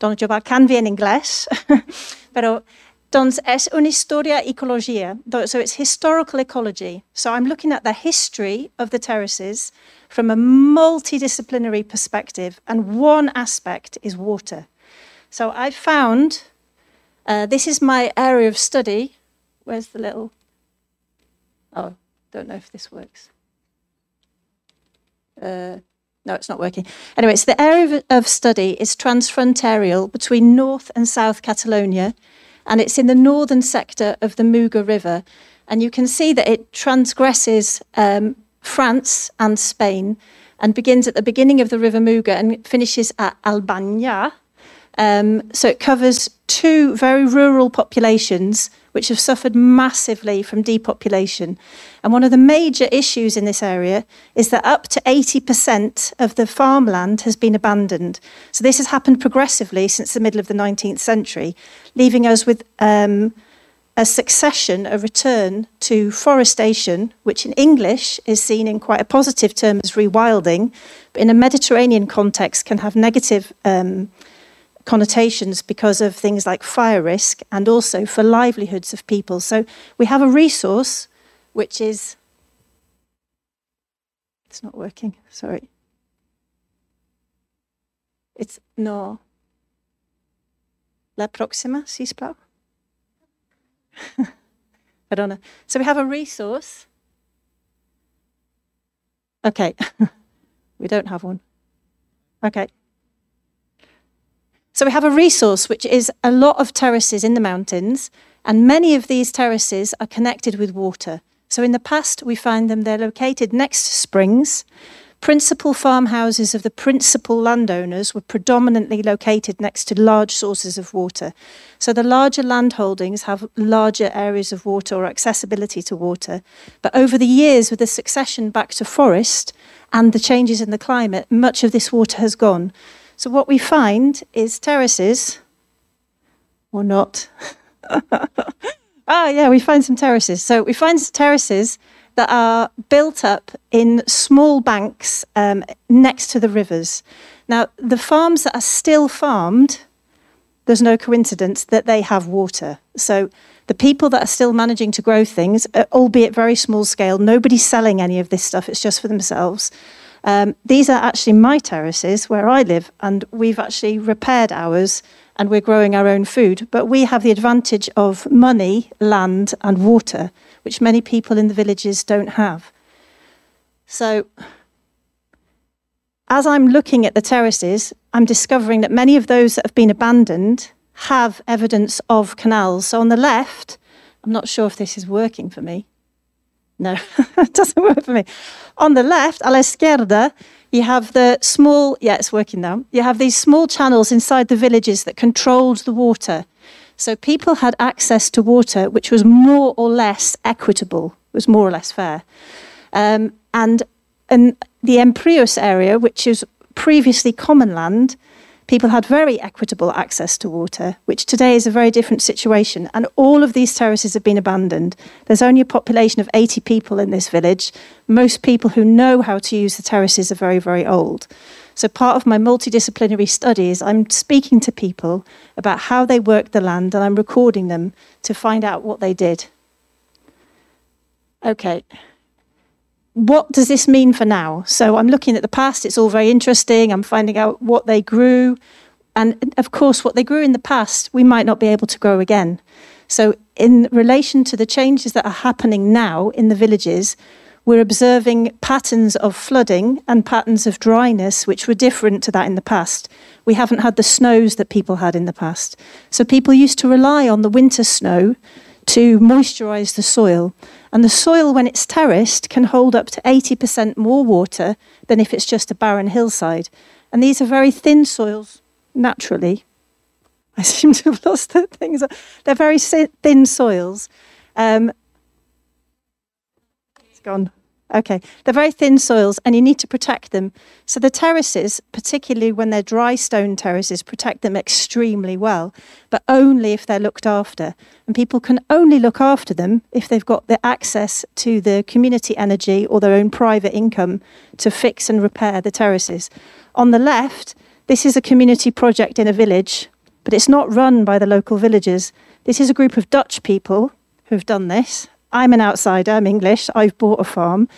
Doncs jo va canviar en anglès, però doncs és una història ecologia. So it's historical ecology. So I'm looking at the history of the terraces from a multidisciplinary perspective, and one aspect is water. So I found, uh, this is my area of study. Where's the little, oh, don't know if this works. Uh, No, it's not working. Anyway, so the area of, of study is transfrontarial between North and South Catalonia, and it's in the northern sector of the Muga River. And you can see that it transgresses um, France and Spain and begins at the beginning of the River Muga and finishes at Albania. Um, so it covers two very rural populations which have suffered massively from depopulation. And one of the major issues in this area is that up to eighty percent of the farmland has been abandoned. So this has happened progressively since the middle of the nineteenth century, leaving us with um, a succession, a return to forestation, which in English is seen in quite a positive term as rewilding, but in a Mediterranean context can have negative um, connotations because of things like fire risk and also for livelihoods of people. So we have a resource which is, it's not working, sorry. It's, no. La próxima, sisplau. I don't know. So we have a resource. Okay, we don't have one. Okay. So we have a resource which is a lot of terraces in the mountains, and many of these terraces are connected with water. So in the past, we find them, they're located next to springs. Principal farmhouses of the principal landowners were predominantly located next to large sources of water. So the larger landholdings have larger areas of water or accessibility to water. But over the years, with the succession back to forest and the changes in the climate, much of this water has gone. So what we find is terraces, or not. Ah, yeah, we find some terraces. So we find terraces that are built up in small banks um, next to the rivers. Now, the farms that are still farmed, there's no coincidence that they have water. So the people that are still managing to grow things, albeit very small scale, nobody's selling any of this stuff, it's just for themselves. Um, these are actually my terraces where I live, and we've actually repaired ours and we're growing our own food. But we have the advantage of money, land and water, which many people in the villages don't have. So as I'm looking at the terraces, I'm discovering that many of those that have been abandoned have evidence of canals. So on the left, I'm not sure if this is working for me. No, it doesn't work for me. On the left, a la izquierda, you have the small, yeah, it's working now. You have these small channels inside the villages that controlled the water. So people had access to water which was more or less equitable, was more or less fair. Um, and in the Emprius area, which is previously common land, people had very equitable access to water, which today is a very different situation. And all of these terraces have been abandoned. There's only a population of eighty people in this village. Most people who know how to use the terraces are very, very old. So part of my multidisciplinary studies, I'm speaking to people about how they worked the land, and I'm recording them to find out what they did. Okay. What does this mean for now? So I'm looking at the past, it's all very interesting, I'm finding out what they grew, and of course what they grew in the past, we might not be able to grow again. So in relation to the changes that are happening now in the villages, we're observing patterns of flooding and patterns of dryness which were different to that in the past. We haven't had the snows that people had in the past. So people used to rely on the winter snow to moisturise the soil. And the soil, when it's terraced, can hold up to eighty percent more water than if it's just a barren hillside. And these are very thin soils, naturally. I seem to have lost the things. They're very thin soils. Um, it's gone. Okay, they're very thin soils and you need to protect them. So the terraces, particularly when they're dry stone terraces, protect them extremely well, but only if they're looked after. And people can only look after them if they've got the access to the community energy or their own private income to fix and repair the terraces. On the left, this is a community project in a village, but it's not run by the local villagers. This is a group of Dutch people who've done this. I'm an outsider, I'm English, I've bought a farm.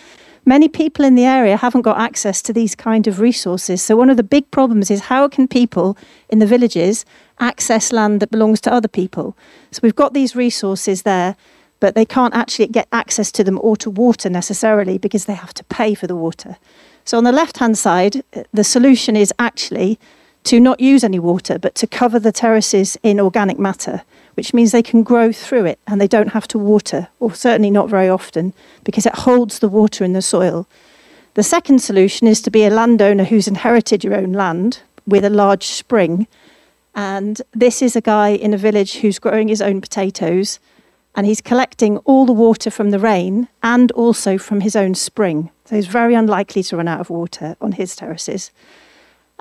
Many people in the area haven't got access to these kind of resources. So one of the big problems is how can people in the villages access land that belongs to other people? So we've got these resources there, but they can't actually get access to them or to water necessarily because they have to pay for the water. So on the left-hand side, the solution is actually to not use any water, but to cover the terraces in organic matter, which means they can grow through it and they don't have to water, or certainly not very often, because it holds the water in the soil. The second solution is to be a landowner who's inherited your own land with a large spring. And this is a guy in a village who's growing his own potatoes, and he's collecting all the water from the rain and also from his own spring. So he's very unlikely to run out of water on his terraces.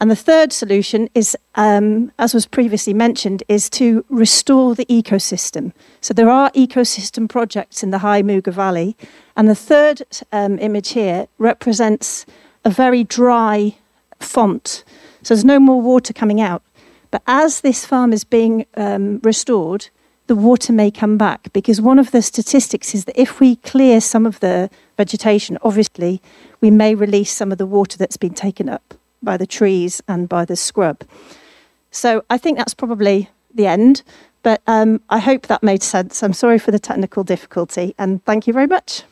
And the third solution is, um, as was previously mentioned, is to restore the ecosystem. So there are ecosystem projects in the High Muga Valley. And the third um, image here represents a very dry font. So there's no more water coming out. But as this farm is being um, restored, the water may come back. Because one of the statistics is that if we clear some of the vegetation, obviously, we may release some of the water that's been taken up by the trees and by the scrub. So I think that's probably the end, but um, I hope that made sense. I'm sorry for the technical difficulty, and thank you very much.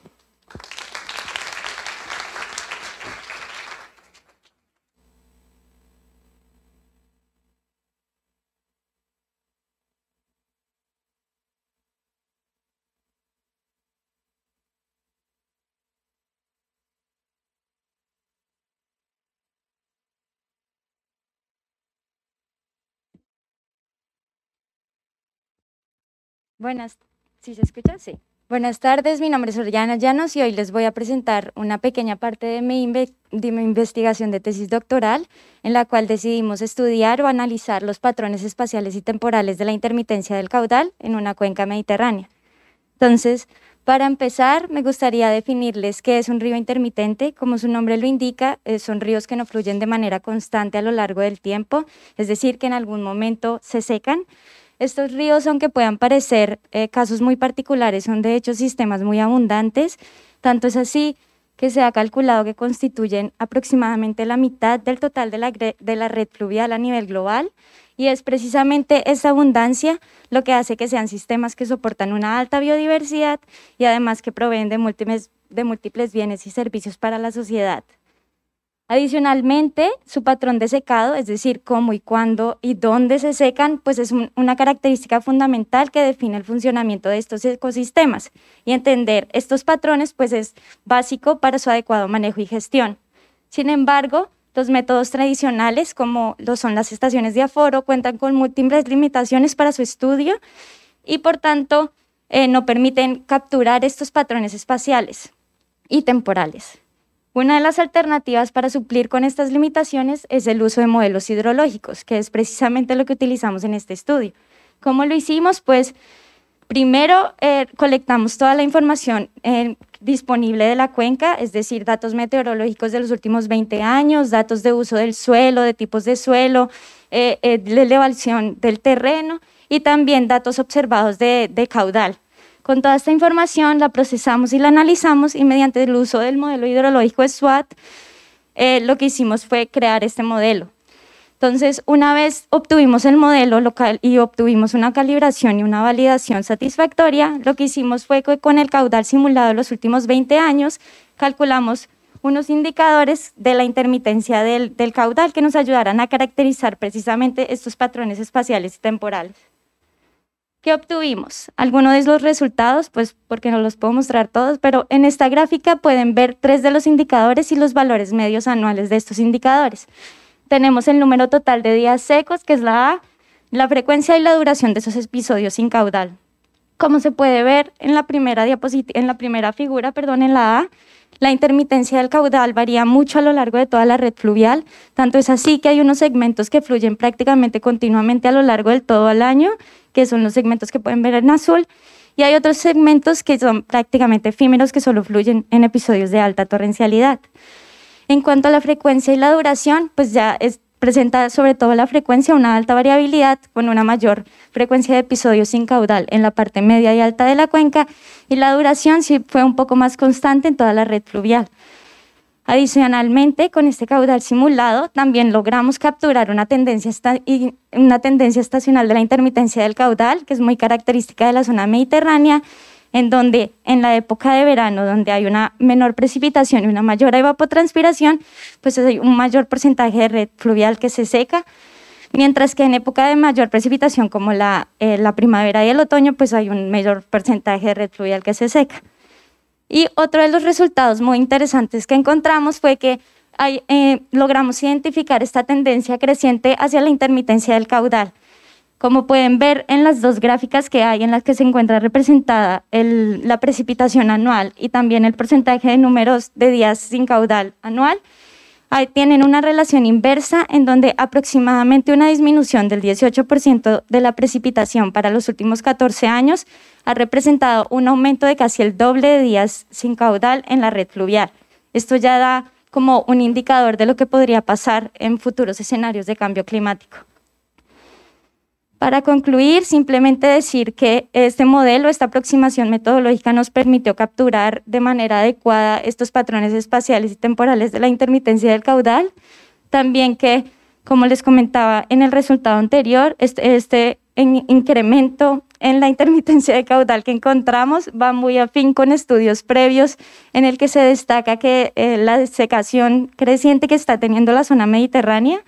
Buenas, ¿sí se escucha? Sí. Buenas tardes, mi nombre es Oriana Llanos y hoy les voy a presentar una pequeña parte de mi, inve de mi investigación de tesis doctoral, en la cual decidimos estudiar o analizar los patrones espaciales y temporales de la intermitencia del caudal en una cuenca mediterránea. Entonces, para empezar, me gustaría definirles qué es un río intermitente. Como su nombre lo indica, eh, son ríos que no fluyen de manera constante a lo largo del tiempo, es decir, que en algún momento se secan. Estos ríos, aunque puedan parecer eh, casos muy particulares, son de hecho sistemas muy abundantes. Tanto es así que se ha calculado que constituyen aproximadamente la mitad del total de la, de la red fluvial a nivel global, y es precisamente esa abundancia lo que hace que sean sistemas que soportan una alta biodiversidad y además que proveen de múltiples, de múltiples bienes y servicios para la sociedad. Adicionalmente, su patrón de secado, es decir, cómo y cuándo y dónde se secan, pues es un, una característica fundamental que define el funcionamiento de estos ecosistemas, y entender estos patrones pues es básico para su adecuado manejo y gestión. Sin embargo, los métodos tradicionales, como lo son las estaciones de aforo, cuentan con múltiples limitaciones para su estudio y por tanto eh, no permiten capturar estos patrones espaciales y temporales. Una de las alternativas para suplir con estas limitaciones es el uso de modelos hidrológicos, que es precisamente lo que utilizamos en este estudio. ¿Cómo lo hicimos? Pues primero eh, colectamos toda la información eh, disponible de la cuenca, es decir, datos meteorológicos de los últimos veinte años, datos de uso del suelo, de tipos de suelo, eh, eh, de elevación del terreno y también datos observados de, de caudal. Con toda esta información la procesamos y la analizamos, y mediante el uso del modelo hidrológico SWAT, eh, lo que hicimos fue crear este modelo. Entonces, una vez obtuvimos el modelo local y obtuvimos una calibración y una validación satisfactoria, lo que hicimos fue que con el caudal simulado de los últimos veinte años, calculamos unos indicadores de la intermitencia del, del caudal que nos ayudaran a caracterizar precisamente estos patrones espaciales y temporales. ¿Qué obtuvimos? Algunos de los resultados, pues porque no los puedo mostrar todos, pero en esta gráfica pueden ver tres de los indicadores y los valores medios anuales de estos indicadores. Tenemos el número total de días secos, que es la A, la frecuencia y la duración de esos episodios sin caudal. Como se puede ver en la primera diapositiva, en la primera figura, perdón, en la A, la intermitencia del caudal varía mucho a lo largo de toda la red fluvial, tanto es así que hay unos segmentos que fluyen prácticamente continuamente a lo largo del todo el año, que son los segmentos que pueden ver en azul, y hay otros segmentos que son prácticamente efímeros, que solo fluyen en episodios de alta torrencialidad. En cuanto a la frecuencia y la duración, pues ya es, presenta sobre todo la frecuencia una alta variabilidad con una mayor frecuencia de episodios sin caudal en la parte media y alta de la cuenca, y la duración sí fue un poco más constante en toda la red fluvial. Adicionalmente, con este caudal simulado, también logramos capturar una tendencia, esta, una tendencia estacional de la intermitencia del caudal, que es muy característica de la zona mediterránea, en donde en la época de verano, donde hay una menor precipitación y una mayor evapotranspiración, pues hay un mayor porcentaje de red fluvial que se seca, mientras que en época de mayor precipitación, como la, eh, la primavera y el otoño, pues hay un mayor porcentaje de red fluvial que se seca. Y otro de los resultados muy interesantes que encontramos fue que hay, eh, logramos identificar esta tendencia creciente hacia la intermitencia del caudal. Como pueden ver en las dos gráficas que hay, en las que se encuentra representada el, la precipitación anual y también el porcentaje de números de días sin caudal anual, ahí tienen una relación inversa en donde aproximadamente una disminución del dieciocho por ciento de la precipitación para los últimos catorce años ha representado un aumento de casi el doble de días sin caudal en la red fluvial. Esto ya da como un indicador de lo que podría pasar en futuros escenarios de cambio climático. Para concluir, simplemente decir que este modelo, esta aproximación metodológica nos permitió capturar de manera adecuada estos patrones espaciales y temporales de la intermitencia del caudal. También que, como les comentaba en el resultado anterior, este, este en incremento en la intermitencia de caudal que encontramos va muy afín con estudios previos en el que se destaca que eh, la desecación creciente que está teniendo la zona mediterránea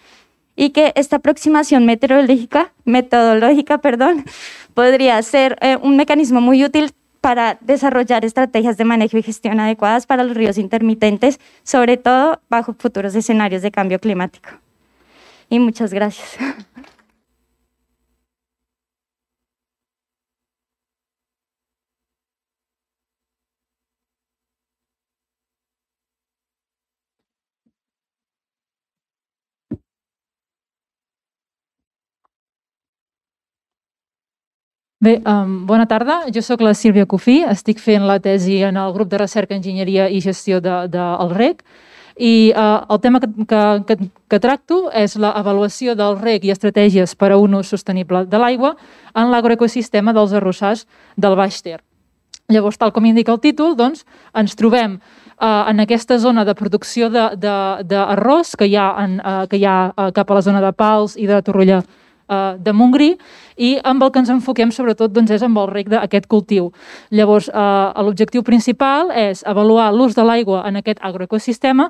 y que esta aproximación meteorológica, metodológica perdón, podría ser eh, un mecanismo muy útil para desarrollar estrategias de manejo y gestión adecuadas para los ríos intermitentes, sobre todo bajo futuros escenarios de cambio climático. Y muchas gracias. Bé, um, bona tarda. Jo sóc la Sílvia Cofí, estic fent la tesi en el grup de recerca, enginyeria i gestió del de, de, rec i uh, el tema que, que, que tracto és l'avaluació del rec i estratègies per a un ús sostenible de l'aigua en l'agroecosistema dels arrossars del Baix Ter. Llavors, tal com indica el títol, doncs, ens trobem uh, en aquesta zona de producció d'arròs que hi ha, en, uh, que hi ha uh, cap a la zona de Pals i de Torroella de Montgrí, i amb el que ens enfoquem sobretot doncs, és amb el rec d'aquest cultiu. Llavors, eh, l'objectiu principal és avaluar l'ús de l'aigua en aquest agroecosistema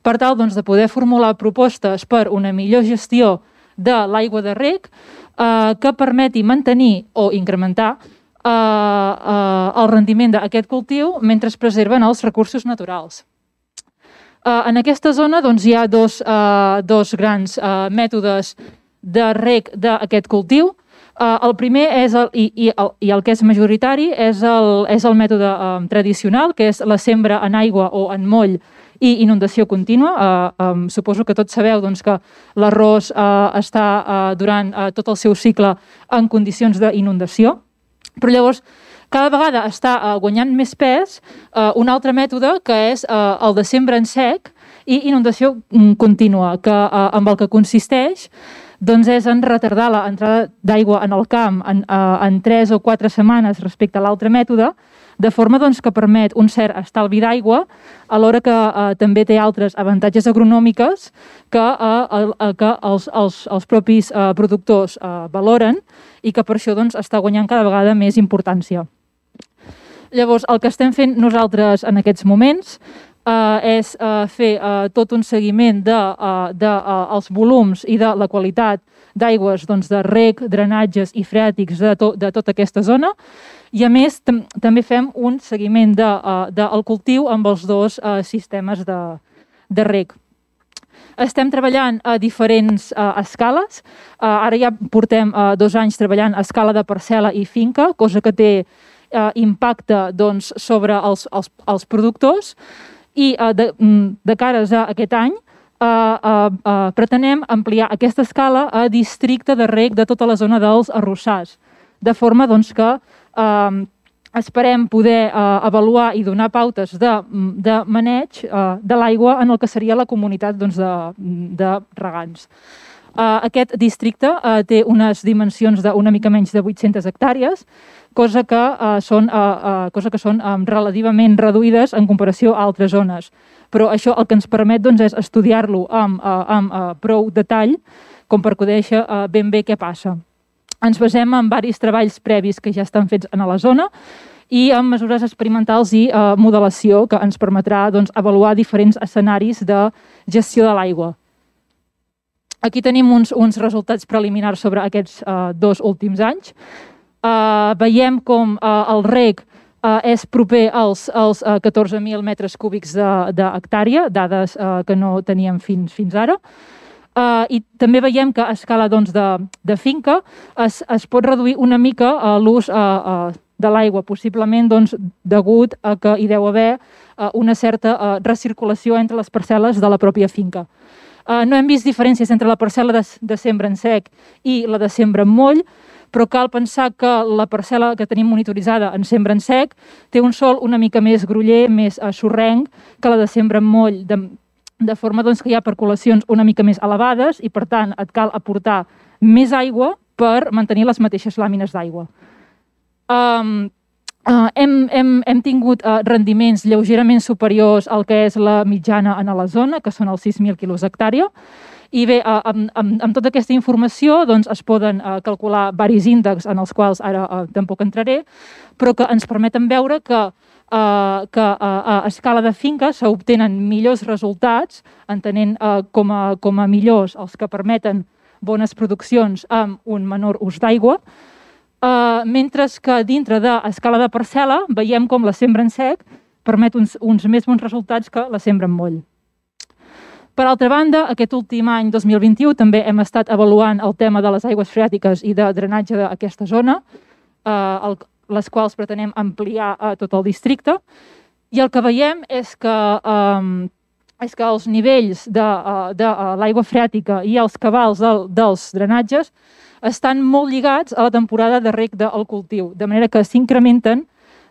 per tal doncs, de poder formular propostes per una millor gestió de l'aigua de rec eh, que permeti mantenir o incrementar eh, eh, el rendiment d'aquest cultiu mentre es preserven els recursos naturals. Eh, en aquesta zona doncs, hi ha dos, eh, dos grans eh, mètodes de rec d'aquest cultiu. Uh, el primer és el, i, i, el, i el que és majoritari és el, és el mètode um, tradicional, que és la sembra en aigua o en moll i inundació contínua. Uh, um, suposo que tots sabeu doncs, que l'arròs uh, està uh, durant uh, tot el seu cicle en condicions d'inundació, però llavors cada vegada està uh, guanyant més pes uh, un altre mètode que és uh, el de sembra en sec i inundació contínua, que, uh, amb el que consisteix doncs és en retardar l'entrada d'aigua en el camp en, en tres o quatre setmanes respecte a l'altre mètode, de forma doncs, que permet un cert estalvi d'aigua, alhora que eh, també té altres avantatges agronòmiques que, eh, que els, els, els propis eh, productors eh, valoren i que per això doncs, està guanyant cada vegada més importància. Llavors, el que estem fent nosaltres en aquests moments eh, és eh, fer eh, tot un seguiment dels de, de, eh, els volums i de la qualitat d'aigües doncs, de reg, drenatges i freàtics de, to, de tota aquesta zona. I a més, tam també fem un seguiment del de, uh, de cultiu amb els dos uh, sistemes de, de reg. Estem treballant a diferents uh, escales. Uh, ara ja portem uh, dos anys treballant a escala de parcel·la i finca, cosa que té uh, impacte doncs, sobre els, els, els productors. I uh, de, de cares a aquest any, uh, uh, uh, pretenem ampliar aquesta escala a districte de reg de tota la zona dels arrossars, de forma doncs, que Uh, esperem poder uh, avaluar i donar pautes de, de maneig uh, de l'aigua en el que seria la comunitat doncs, de, de regants. Uh, aquest districte uh, té unes dimensions d'una mica menys de vuit-centes hectàrees, cosa que uh, són, uh, uh, cosa que són um, relativament reduïdes en comparació a altres zones. Però això el que ens permet doncs, és estudiar-lo amb, uh, amb uh, prou detall com per conèixer uh, ben bé què passa. Ens basem en diversos treballs previs que ja estan fets a la zona i en mesures experimentals i eh, modelació que ens permetrà doncs, avaluar diferents escenaris de gestió de l'aigua. Aquí tenim uns, uns resultats preliminars sobre aquests eh, dos últims anys. Eh, veiem com eh, el reg eh, és proper als, als eh, catorze mil metres cúbics d'hectàrea, de, dades eh, que no teníem fins, fins ara. Uh, I també veiem que a escala doncs, de, de finca es, es pot reduir una mica uh, l'ús uh, uh, de l'aigua, possiblement doncs, degut a que hi deu haver uh, una certa uh, recirculació entre les parcel·les de la pròpia finca. Uh, no hem vist diferències entre la parcel·la de, de sembra en sec i la de sembra en moll, però cal pensar que la parcel·la que tenim monitoritzada en sembra en sec té un sòl una mica més groller, més uh, sorrenc que la de sembra en moll, de, de forma doncs, que hi ha percolacions una mica més elevades i, per tant, et cal aportar més aigua per mantenir les mateixes làmines d'aigua. Um, uh, hem, hem, hem tingut uh, rendiments lleugerament superiors al que és la mitjana en la zona, que són els sis mil quilos hectàrea. I bé, uh, amb, amb, amb tota aquesta informació doncs, es poden uh, calcular diversos índexs en els quals ara uh, tampoc entraré, però que ens permeten veure que Uh, que uh, a escala de finca s'obtenen millors resultats, entenent uh, com, a, com a millors els que permeten bones produccions amb un menor ús d'aigua, uh, mentre que dintre d'escala de parcel·la veiem com la sembra en sec permet uns, uns més bons resultats que la sembra en moll. Per altra banda, aquest últim any, dos mil vint-i-u, també hem estat avaluant el tema de les aigües freàtiques i de drenatge d'aquesta zona, uh, el les quals pretenem ampliar a tot el districte. I el que veiem és que, um, és que els nivells de, uh, de uh, l'aigua freàtica i els cabals del, dels drenatges estan molt lligats a la temporada de reg del cultiu, de manera que s'incrementen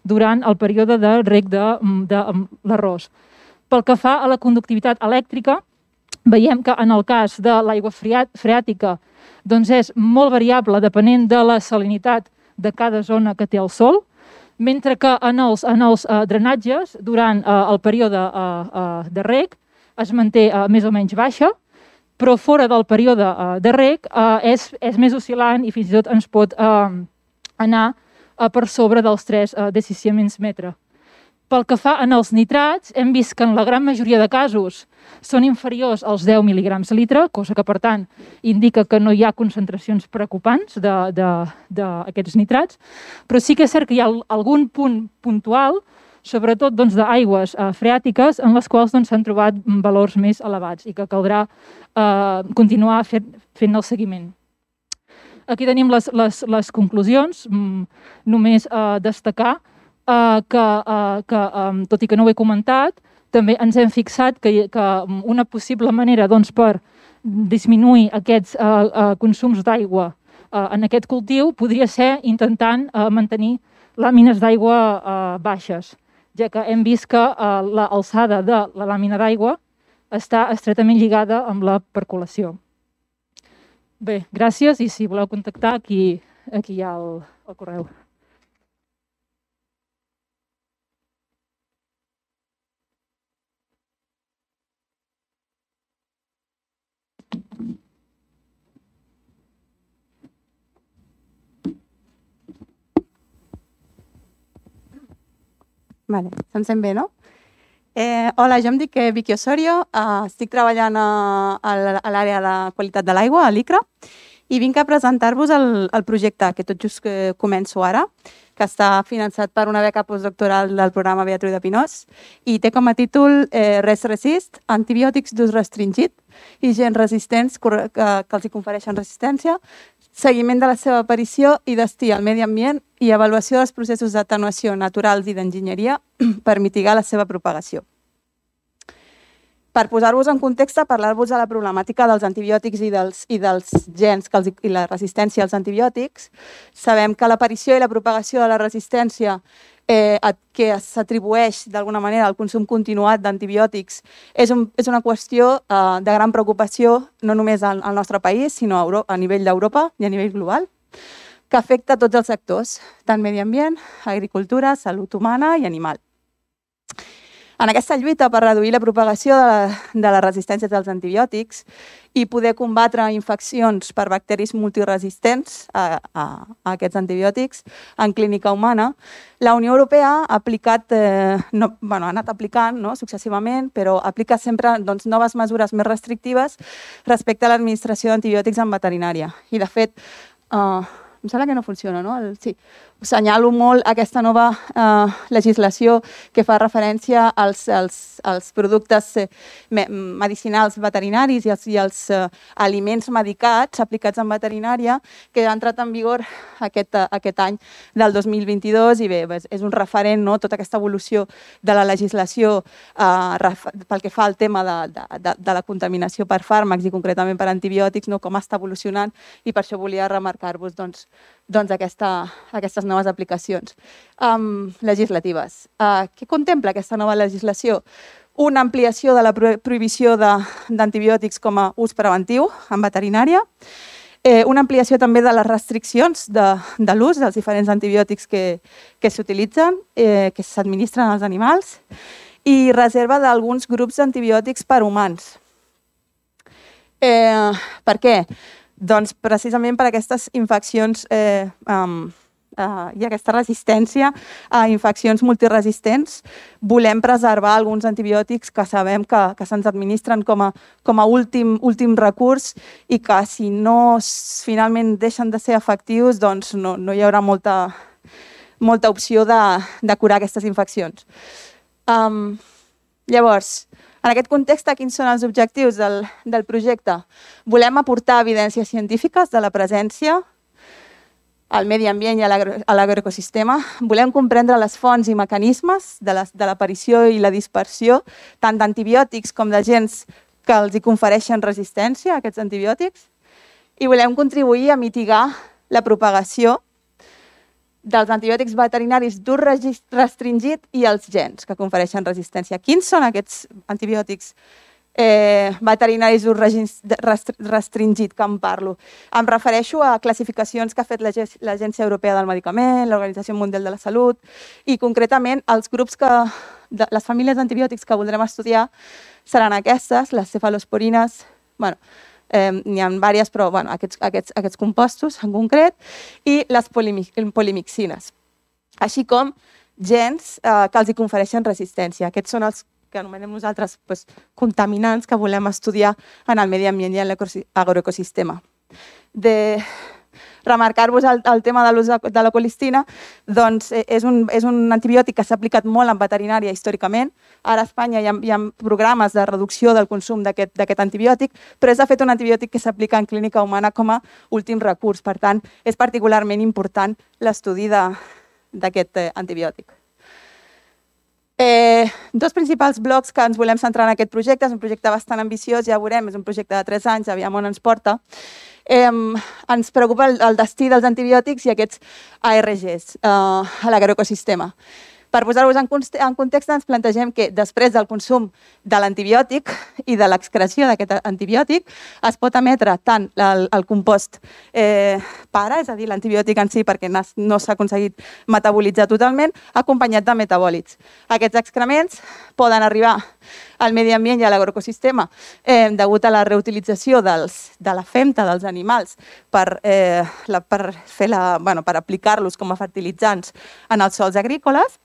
durant el període de reg de, de, de l'arròs. Pel que fa a la conductivitat elèctrica, veiem que en el cas de l'aigua freàtica doncs és molt variable depenent de la salinitat de cada zona que té el sol, mentre que en els, en els uh, drenatges, durant uh, el període uh, uh, de reg, es manté uh, més o menys baixa, però fora del període uh, de reg uh, és, és més oscil·lant i fins i tot ens pot uh, anar uh, per sobre dels tres uh, decisiments metre. Pel que fa en els nitrats, hem vist que en la gran majoria de casos són inferiors als deu mil·ligrams litre, cosa que, per tant, indica que no hi ha concentracions preocupants d'aquests nitrats, però sí que és cert que hi ha algun punt puntual, sobretot doncs, d'aigües eh, freàtiques, en les quals s'han doncs, trobat valors més elevats i que caldrà eh, continuar fent, fent el seguiment. Aquí tenim les, les, les conclusions, només eh, destacar Uh, que, uh, que um, tot i que no ho he comentat, també ens hem fixat que, que una possible manera doncs, per disminuir aquests uh, uh, consums d'aigua uh, en aquest cultiu podria ser intentant uh, mantenir làmines d'aigua uh, baixes, ja que hem vist que uh, l'alçada de la làmina d'aigua està estretament lligada amb la percolació. Bé, gràcies, i si voleu contactar, aquí, aquí hi ha el, el correu. Vale, se'm sent bé, no? Eh, hola, jo em dic Vicky Osorio, eh, estic treballant a, a l'àrea de qualitat de l'aigua, a l'I C R A, i vinc a presentar-vos el, el projecte que tot just que començo ara, que està finançat per una beca postdoctoral del programa Beatriu de Pinós i té com a títol eh, Res Resist, antibiòtics d'ús restringit i gens resistents que, que els hi confereixen resistència, seguiment de la seva aparició i destí al medi ambient i avaluació dels processos d'atenuació naturals i d'enginyeria per mitigar la seva propagació. Per posar-vos en context, parlar-vos de la problemàtica dels antibiòtics i dels, i dels gens que els, i la resistència als antibiòtics, sabem que l'aparició i la propagació de la resistència eh, que s'atribueix d'alguna manera al consum continuat d'antibiòtics és, un, és una qüestió eh, de gran preocupació no només al, al nostre país, sinó a, Euro, a nivell d'Europa i a nivell global, que afecta tots els sectors, tant medi ambient, agricultura, salut humana i animal. En aquesta lluita per reduir la propagació de, la, de les resistències als antibiòtics i poder combatre infeccions per bacteris multiresistents a, a, a aquests antibiòtics en clínica humana, la Unió Europea ha aplicat, eh, no, bueno, ha anat aplicant no, successivament, però aplica sempre doncs, noves mesures més restrictives respecte a l'administració d'antibiòtics en veterinària. I de fet, eh, em sembla que no funciona, no? El, sí. Senyalo molt aquesta nova eh, legislació que fa referència als, als, als productes eh, medicinals veterinaris i als, i als eh, aliments medicats aplicats en veterinària que ha entrat en vigor aquest, aquest any del dos mil vint-i-dos i bé, és un referent, no? Tota aquesta evolució de la legislació eh, pel que fa al tema de, de, de, de la contaminació per fàrmacs i concretament per antibiòtics, no? Com està evolucionant i per això volia remarcar-vos doncs, doncs aquesta, aquestes noves aplicacions um, legislatives. Uh, què contempla aquesta nova legislació? Una ampliació de la prohibició d'antibiòtics com a ús preventiu en veterinària, eh, una ampliació també de les restriccions de, de l'ús dels diferents antibiòtics que, que s'utilitzen, eh, que s'administren als animals, i reserva d'alguns grups d'antibiòtics per humans. Eh, per què? Doncs precisament per aquestes infeccions eh, um, uh, i aquesta resistència a infeccions multiresistents, volem preservar alguns antibiòtics que sabem que, que se'ns administren com a, com a últim, últim recurs i que si no finalment deixen de ser efectius, doncs no, no hi haurà molta, molta opció de, de curar aquestes infeccions. Um, llavors, en aquest context, quins són els objectius del, del projecte? Volem aportar evidències científiques de la presència al medi ambient i a l'agroecosistema. Volem comprendre les fonts i mecanismes de l'aparició i la dispersió tant d'antibiòtics com d'agents que els hi confereixen resistència a aquests antibiòtics. I volem contribuir a mitigar la propagació dels antibiòtics veterinaris d'ús restringit i els gens que confereixen resistència. Quins són aquests antibiòtics eh, veterinaris d'ús restringit que em parlo? Em refereixo a classificacions que ha fet l'Agència Europea del Medicament, l'Organització Mundial de la Salut i concretament els grups que, de, les famílies d'antibiòtics que voldrem estudiar seran aquestes, les cefalosporines, bueno, Eh, n'hi ha diverses, però bueno, aquests, aquests, aquests compostos en concret, i les polimixines, així com gens eh, que els hi confereixen resistència. Aquests són els que anomenem nosaltres pues, contaminants que volem estudiar en el medi ambient i en l'agroecosistema. De remarcar-vos el, el tema de l'ús de la colistina, doncs és un, és un antibiòtic que s'ha aplicat molt en veterinària històricament. Ara a Espanya hi ha, hi ha programes de reducció del consum d'aquest antibiòtic, però és de fet un antibiòtic que s'aplica en clínica humana com a últim recurs. Per tant, és particularment important l'estudi d'aquest antibiòtic. Eh, dos principals blocs que ens volem centrar en aquest projecte. És un projecte bastant ambiciós, ja veurem, és un projecte de tres anys, aviam on ens porta. Eh, ens preocupa el, el destí dels antibiòtics i aquests A R Gs eh, a l'agroecosistema. Per posar-vos en context, ens plantegem que després del consum de l'antibiòtic i de l'excreció d'aquest antibiòtic es pot emetre tant el, el compost eh, pare, és a dir, l'antibiòtic en si perquè no s'ha aconseguit metabolitzar totalment, acompanyat de metabòlits. Aquests excrements poden arribar al medi ambient i a l'agroecosistema eh, degut a la reutilització dels, de la femta dels animals per, eh, la, per, fer la, bueno, per aplicar-los com a fertilitzants en els sòls agrícoles.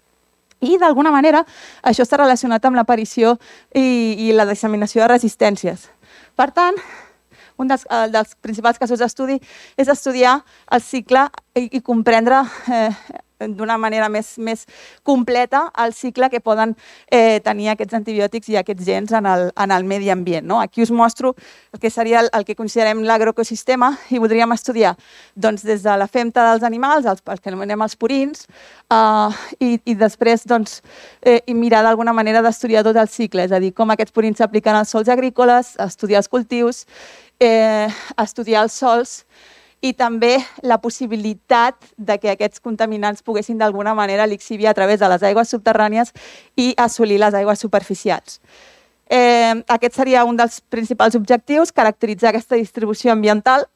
I, d'alguna manera, això està relacionat amb l'aparició i, i la disseminació de resistències. Per tant, un dels, dels principals casos d'estudi és estudiar el cicle i, i comprendre eh, d'una manera més, més completa el cicle que poden eh, tenir aquests antibiòtics i aquests gens en el, en el medi ambient. No? Aquí us mostro el que seria el, el que considerem l'agroecosistema i voldríem estudiar doncs, des de la femta dels animals, els, els que anomenem els purins, eh, i, i després doncs, eh, i mirar d'alguna manera d'estudiar tot el cicle, és a dir, com aquests purins s'apliquen als sòls agrícoles, estudiar els cultius, eh, estudiar els sòls, i també la possibilitat de que aquests contaminants poguessin d'alguna manera lixiviar a través de les aigües subterrànies i assolir les aigües superficials. Eh, aquest seria un dels principals objectius, caracteritzar aquesta distribució ambiental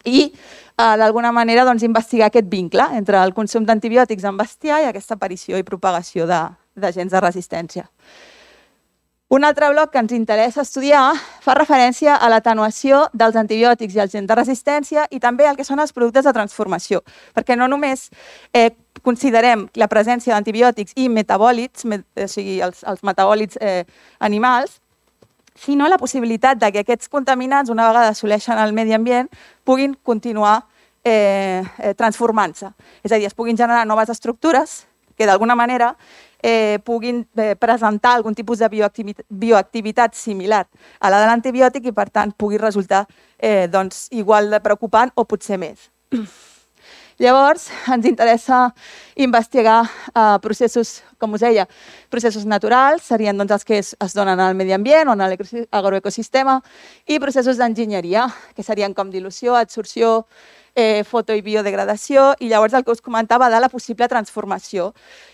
i eh, d'alguna manera doncs, investigar aquest vincle entre el consum d'antibiòtics en bestiar i aquesta aparició i propagació d'agents de, de resistència. Un altre bloc que ens interessa estudiar fa referència a l'atenuació dels antibiòtics i els gens de resistència i també el que són els productes de transformació, perquè no només eh, considerem la presència d'antibiòtics i metabòlits, met, o sigui, els, els metabòlits eh, animals, sinó la possibilitat de que aquests contaminants, una vegada assoleixen el medi ambient, puguin continuar eh, eh, transformant-se. És a dir, es puguin generar noves estructures que d'alguna manera Eh, puguin eh, presentar algun tipus de bioactivitat, bioactivitat similar a la de l'antibiòtic i, per tant, pugui resultar eh, doncs, igual de preocupant o potser més. Llavors, ens interessa investigar eh, processos, com us deia, processos naturals, serien doncs, els que es, es donen al medi ambient o en l'agroecosistema, i processos d'enginyeria, que serien com dilució, adsorció, Eh, foto i biodegradació, i llavors el que us comentava de la possible transformació,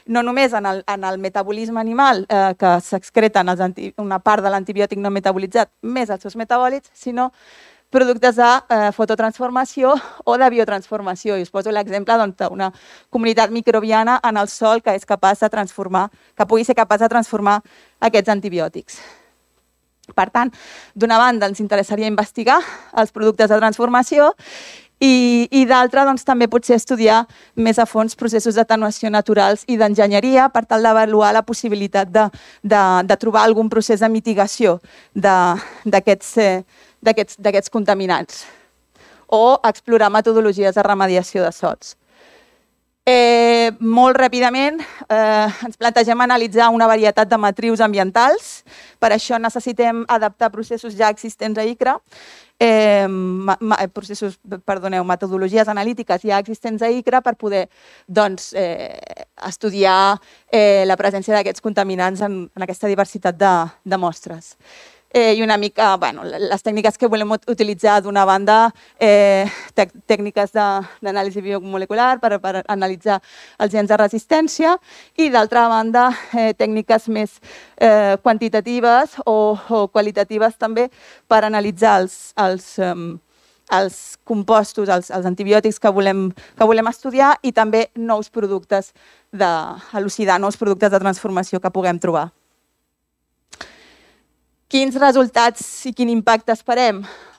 no només en el, en el metabolisme animal, eh, que s'excreten una part de l'antibiòtic no metabolitzat, més els seus metabòlits, sinó productes de eh, fototransformació o de biotransformació. I us poso l'exemple doncs, d'una comunitat microbiana en el sòl que és capaç de transformar, que pugui ser capaç de transformar aquests antibiòtics. Per tant, d'una banda ens interessaria investigar els productes de transformació i, i d'altra doncs, també potser estudiar més a fons processos d'atenuació naturals i d'enginyeria per tal d'avaluar la possibilitat de, de, de trobar algun procés de mitigació d'aquests eh, d'aquests contaminants o explorar metodologies de remediació de sòls. Eh, molt ràpidament eh, ens plantegem analitzar una varietat de matrius ambientals. Per això necessitem adaptar processos ja existents a I C R A, eh, ma, ma, processos, perdoneu, metodologies analítiques ja existents a I C R A per poder doncs, eh, estudiar eh, la presència d'aquests contaminants en, en aquesta diversitat de, de mostres. Eh, I una mica, bueno, les tècniques que volem utilitzar d'una banda, eh, tècniques d'anàlisi biomolecular per, per analitzar els gens de resistència i d'altra banda, eh, tècniques més eh, quantitatives o, o qualitatives també per analitzar els, els, um, els compostos, els, els antibiòtics que volem, que volem estudiar i també nous productes de elucidar, nous productes de transformació que puguem trobar. Quins resultats i quin impacte esperem?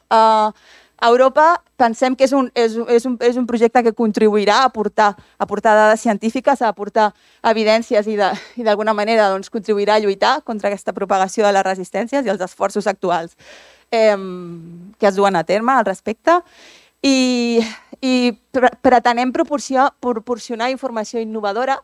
Uh, a Europa pensem que és un, és, és, un, és un projecte que contribuirà a aportar, a aportar dades científiques, a aportar evidències i d'alguna manera doncs, contribuirà a lluitar contra aquesta propagació de les resistències i els esforços actuals eh, que es duen a terme al respecte. I, i pretenem proporcionar, proporcionar informació innovadora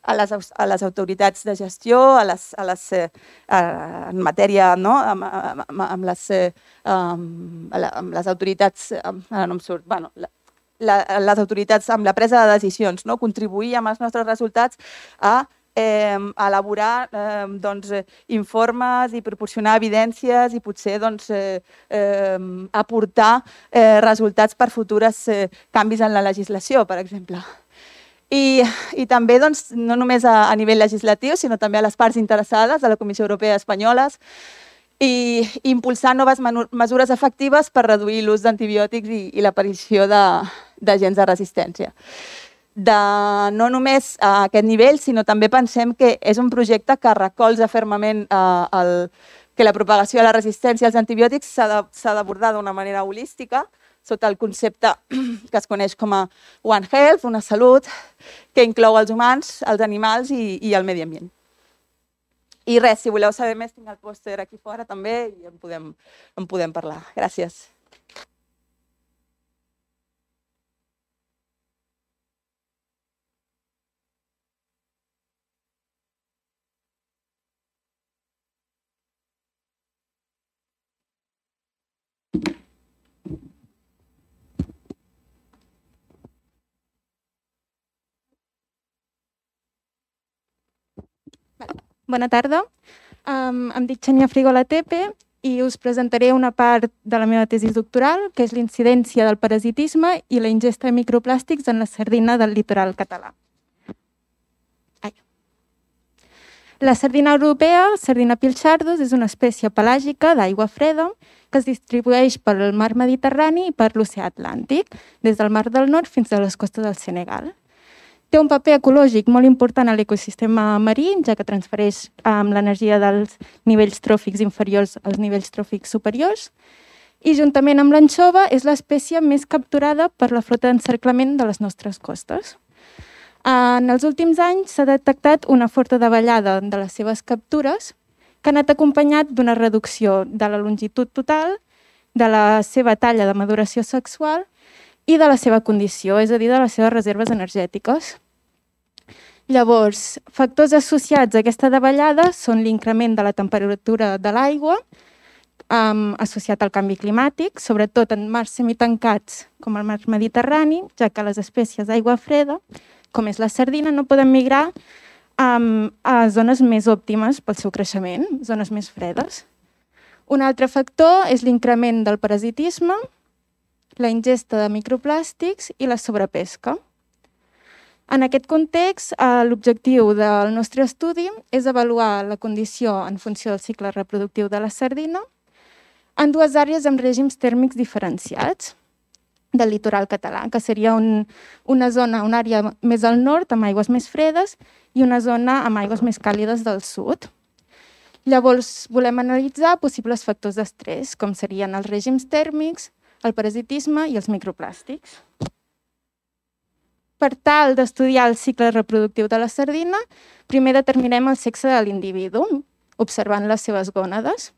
a les, a les autoritats de gestió, a les, a les, eh, en matèria, no? amb, amb, amb, les, eh, amb, amb les autoritats, amb, no em surt, bueno, la, la, les autoritats amb la presa de decisions, no? Contribuir amb els nostres resultats a eh, elaborar eh, doncs, informes i proporcionar evidències i potser doncs, eh, eh, aportar eh, resultats per futures eh, canvis en la legislació, per exemple. I, i també doncs, no només a, a nivell legislatiu, sinó també a les parts interessades, a la Comissió Europea espanyoles, i, i impulsar noves mesures efectives per reduir l'ús d'antibiòtics i, i l'aparició d'agents de, de resistència. De, no només a aquest nivell, sinó també pensem que és un projecte que recolza fermament eh, el, que la propagació de la resistència als antibiòtics s'ha d'abordar d'una manera holística, sota el concepte que es coneix com a One Health, una salut que inclou els humans, els animals i, i el medi ambient. I res, si voleu saber més, tinc el pòster aquí fora també i en podem, en podem parlar. Gràcies. Bona tarda, um, em dic Xenia Frigola Tepe i us presentaré una part de la meva tesi doctoral, que és l'incidència del parasitisme i la ingesta de microplàstics en la sardina del litoral català. Ai. La sardina europea, Sardina pilchardos, és una espècie pelàgica d'aigua freda que es distribueix pel mar Mediterrani i per l'oceà Atlàntic, des del mar del Nord fins a les costes del Senegal. Té un paper ecològic molt important a l'ecosistema marí, ja que transfereix um, l'energia dels nivells tròfics inferiors als nivells tròfics superiors, i juntament amb l'anxova és l'espècie més capturada per la flota d'encerclament de les nostres costes. En els últims anys s'ha detectat una forta davallada de les seves captures, que ha anat acompanyat d'una reducció de la longitud total, de la seva talla de maduració sexual i de la seva condició, és a dir, de les seves reserves energètiques. Llavors, factors associats a aquesta davallada són l'increment de la temperatura de l'aigua, um, associat al canvi climàtic, sobretot en mars semitancats com el mar Mediterrani, ja que les espècies d'aigua freda, com és la sardina, no poden migrar um, a zones més òptimes pel seu creixement, zones més fredes. Un altre factor és l'increment del parasitisme, la ingesta de microplàstics i la sobrepesca. En aquest context, l'objectiu del nostre estudi és avaluar la condició en funció del cicle reproductiu de la sardina en dues àrees amb règims tèrmics diferenciats del litoral català, que seria un, una zona, una àrea més al nord amb aigües més fredes i una zona amb aigües més càlides del sud. Llavors, volem analitzar possibles factors d'estrès, com serien els règims tèrmics, el parasitisme i els microplàstics. Per tal d'estudiar el cicle reproductiu de la sardina, primer determinem el sexe de l'individu, observant les seves gònades.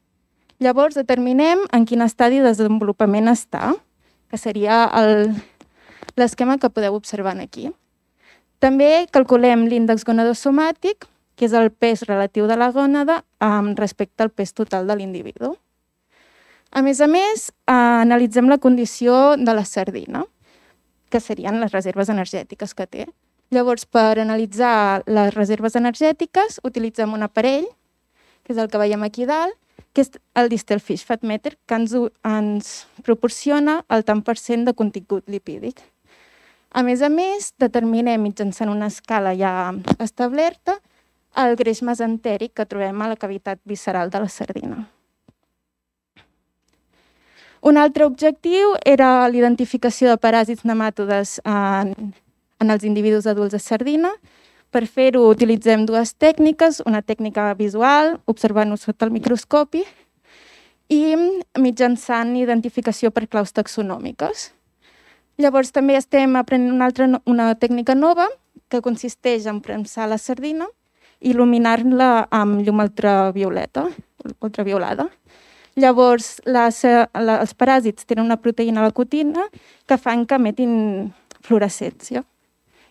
Llavors determinem en quin estadi de desenvolupament està, que seria l'esquema que podeu observar aquí. També calculem l'índex gonadosomàtic, que és el pes relatiu de la gònada respecte al pes total de l'individu. A més a més, analitzem la condició de la sardina, que serien les reserves energètiques que té. Llavors, per analitzar les reserves energètiques, utilitzem un aparell, que és el que veiem aquí dalt, que és el Distal Fish Fat Meter, que ens, ens proporciona el tant per cent de contingut lipídic. A més a més, determinem mitjançant una escala ja establerta el greix mesentèric que trobem a la cavitat visceral de la sardina. Un altre objectiu era l'identificació de paràsits nematodes en, en els individus adults de sardina. Per fer-ho utilitzem dues tècniques, una tècnica visual, observant-ho sota el microscopi, i mitjançant identificació per claus taxonòmiques. Llavors també estem aprenent una, altra, una tècnica nova que consisteix en premsar la sardina i il·luminar-la amb llum ultravioleta, ultraviolada. Llavors, les, els paràsits tenen una proteïna, la cutina, que fan que emetin fluorescència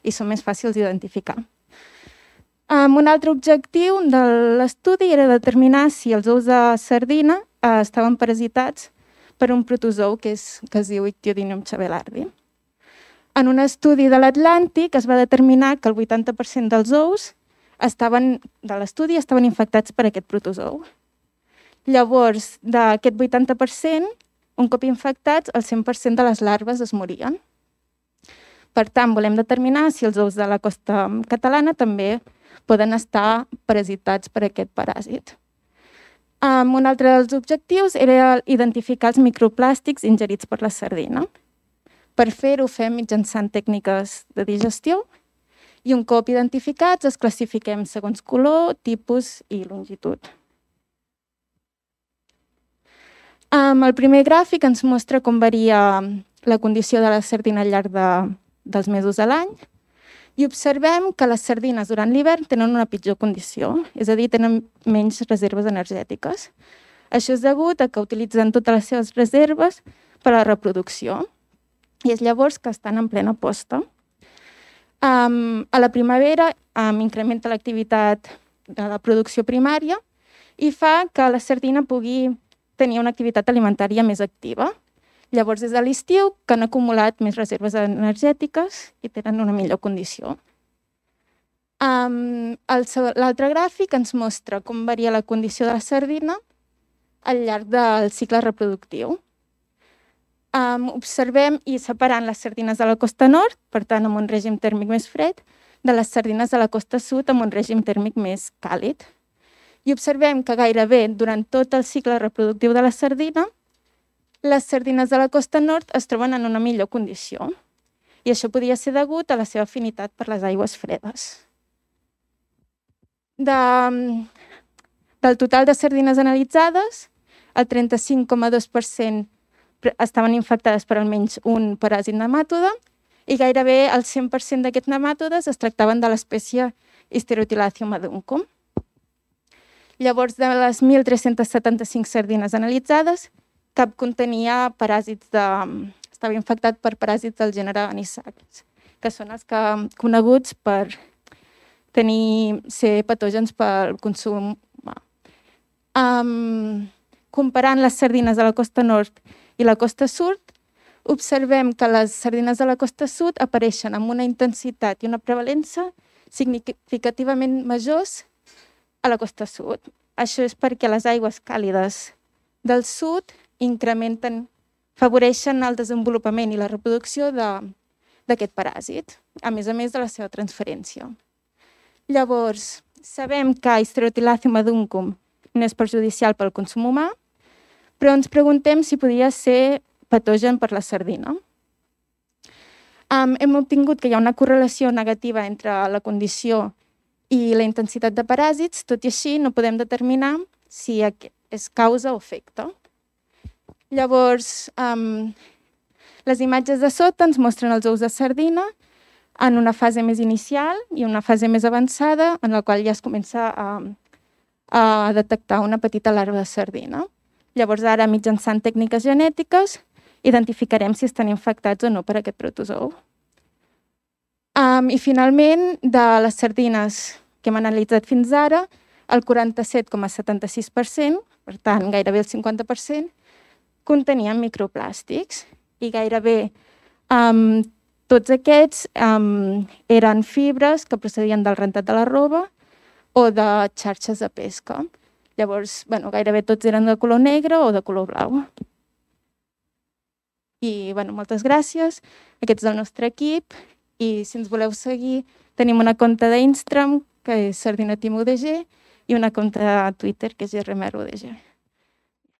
i són més fàcils d'identificar. Um, un altre objectiu de l'estudi era determinar si els ous de sardina uh, estaven parasitats per un protozou que, és, que es diu Ictiodinium chabelardi. En un estudi de l'Atlàntic es va determinar que el vuitanta per cent dels ous estaven, de l'estudi estaven infectats per aquest protozou. Llavors, d'aquest vuitanta per cent, un cop infectats, el cent per cent de les larves es morien. Per tant, volem determinar si els ous de la costa catalana també poden estar parasitats per aquest paràsit. Um, un altre dels objectius era identificar els microplàstics ingerits per la sardina. Per fer-ho fem mitjançant tècniques de digestió i un cop identificats els classifiquem segons color, tipus i longitud. Um, el primer gràfic ens mostra com varia la condició de la sardina al llarg de, dels mesos de l'any i observem que les sardines durant l'hivern tenen una pitjor condició, és a dir, tenen menys reserves energètiques. Això és degut a que utilitzen totes les seves reserves per a la reproducció i és llavors que estan en plena posta. Um, a la primavera um, incrementa l'activitat de la producció primària i fa que la sardina pugui tenir una activitat alimentària més activa. Llavors, des de l'estiu, que han acumulat més reserves energètiques i tenen una millor condició. Um, L'altre gràfic ens mostra com varia la condició de la sardina al llarg del cicle reproductiu. Um, observem i separant les sardines de la costa nord, per tant, amb un règim tèrmic més fred, de les sardines de la costa sud amb un règim tèrmic més càlid. I observem que gairebé durant tot el cicle reproductiu de la sardina, les sardines de la costa nord es troben en una millor condició i això podria ser degut a la seva afinitat per les aigües fredes. De, del total de sardines analitzades, el trenta-cinc coma dos per cent estaven infectades per almenys un paràsit nemàtode i gairebé el cent per cent d'aquests nemàtodes es tractaven de l'espècie Histerotilacium aduncum. Llavors, de les mil tres-cents setanta-cinc sardines analitzades, cap contenia paràsits de... estava infectat per paràsits del gènere Anisakis, que són els que coneguts per tenir, ser patògens pel consum humà. Um, comparant les sardines de la costa nord i la costa sud, observem que les sardines de la costa sud apareixen amb una intensitat i una prevalença significativament majors a la costa sud. Això és perquè les aigües càlides del sud incrementen, favoreixen el desenvolupament i la reproducció d'aquest paràsit, a més a més de la seva transferència. Llavors, sabem que Histerotilacium aduncum no és perjudicial pel consum humà, però ens preguntem si podria ser patogen per la sardina. Um, hem obtingut que hi ha una correlació negativa entre la condició i la intensitat de paràsits, tot i així no podem determinar si és causa o efecte. Llavors, um, les imatges de sota ens mostren els ous de sardina en una fase més inicial i una fase més avançada, en la qual ja es comença a, a detectar una petita larva de sardina. Llavors, ara, mitjançant tècniques genètiques, identificarem si estan infectats o no per aquest protozou. Um, I finalment, de les sardines que hem analitzat fins ara, el quaranta-set coma setanta-sis per cent, per tant, gairebé el cinquanta per cent, contenien microplàstics i gairebé um, tots aquests um, eren fibres que procedien del rentat de la roba o de xarxes de pesca. Llavors, bueno, gairebé tots eren de color negre o de color blau. I bueno, moltes gràcies. Aquest és el nostre equip i si ens voleu seguir tenim una compte d'Instagram que és Sardina Team U D G i una compte a Twitter que és G R M R U D G.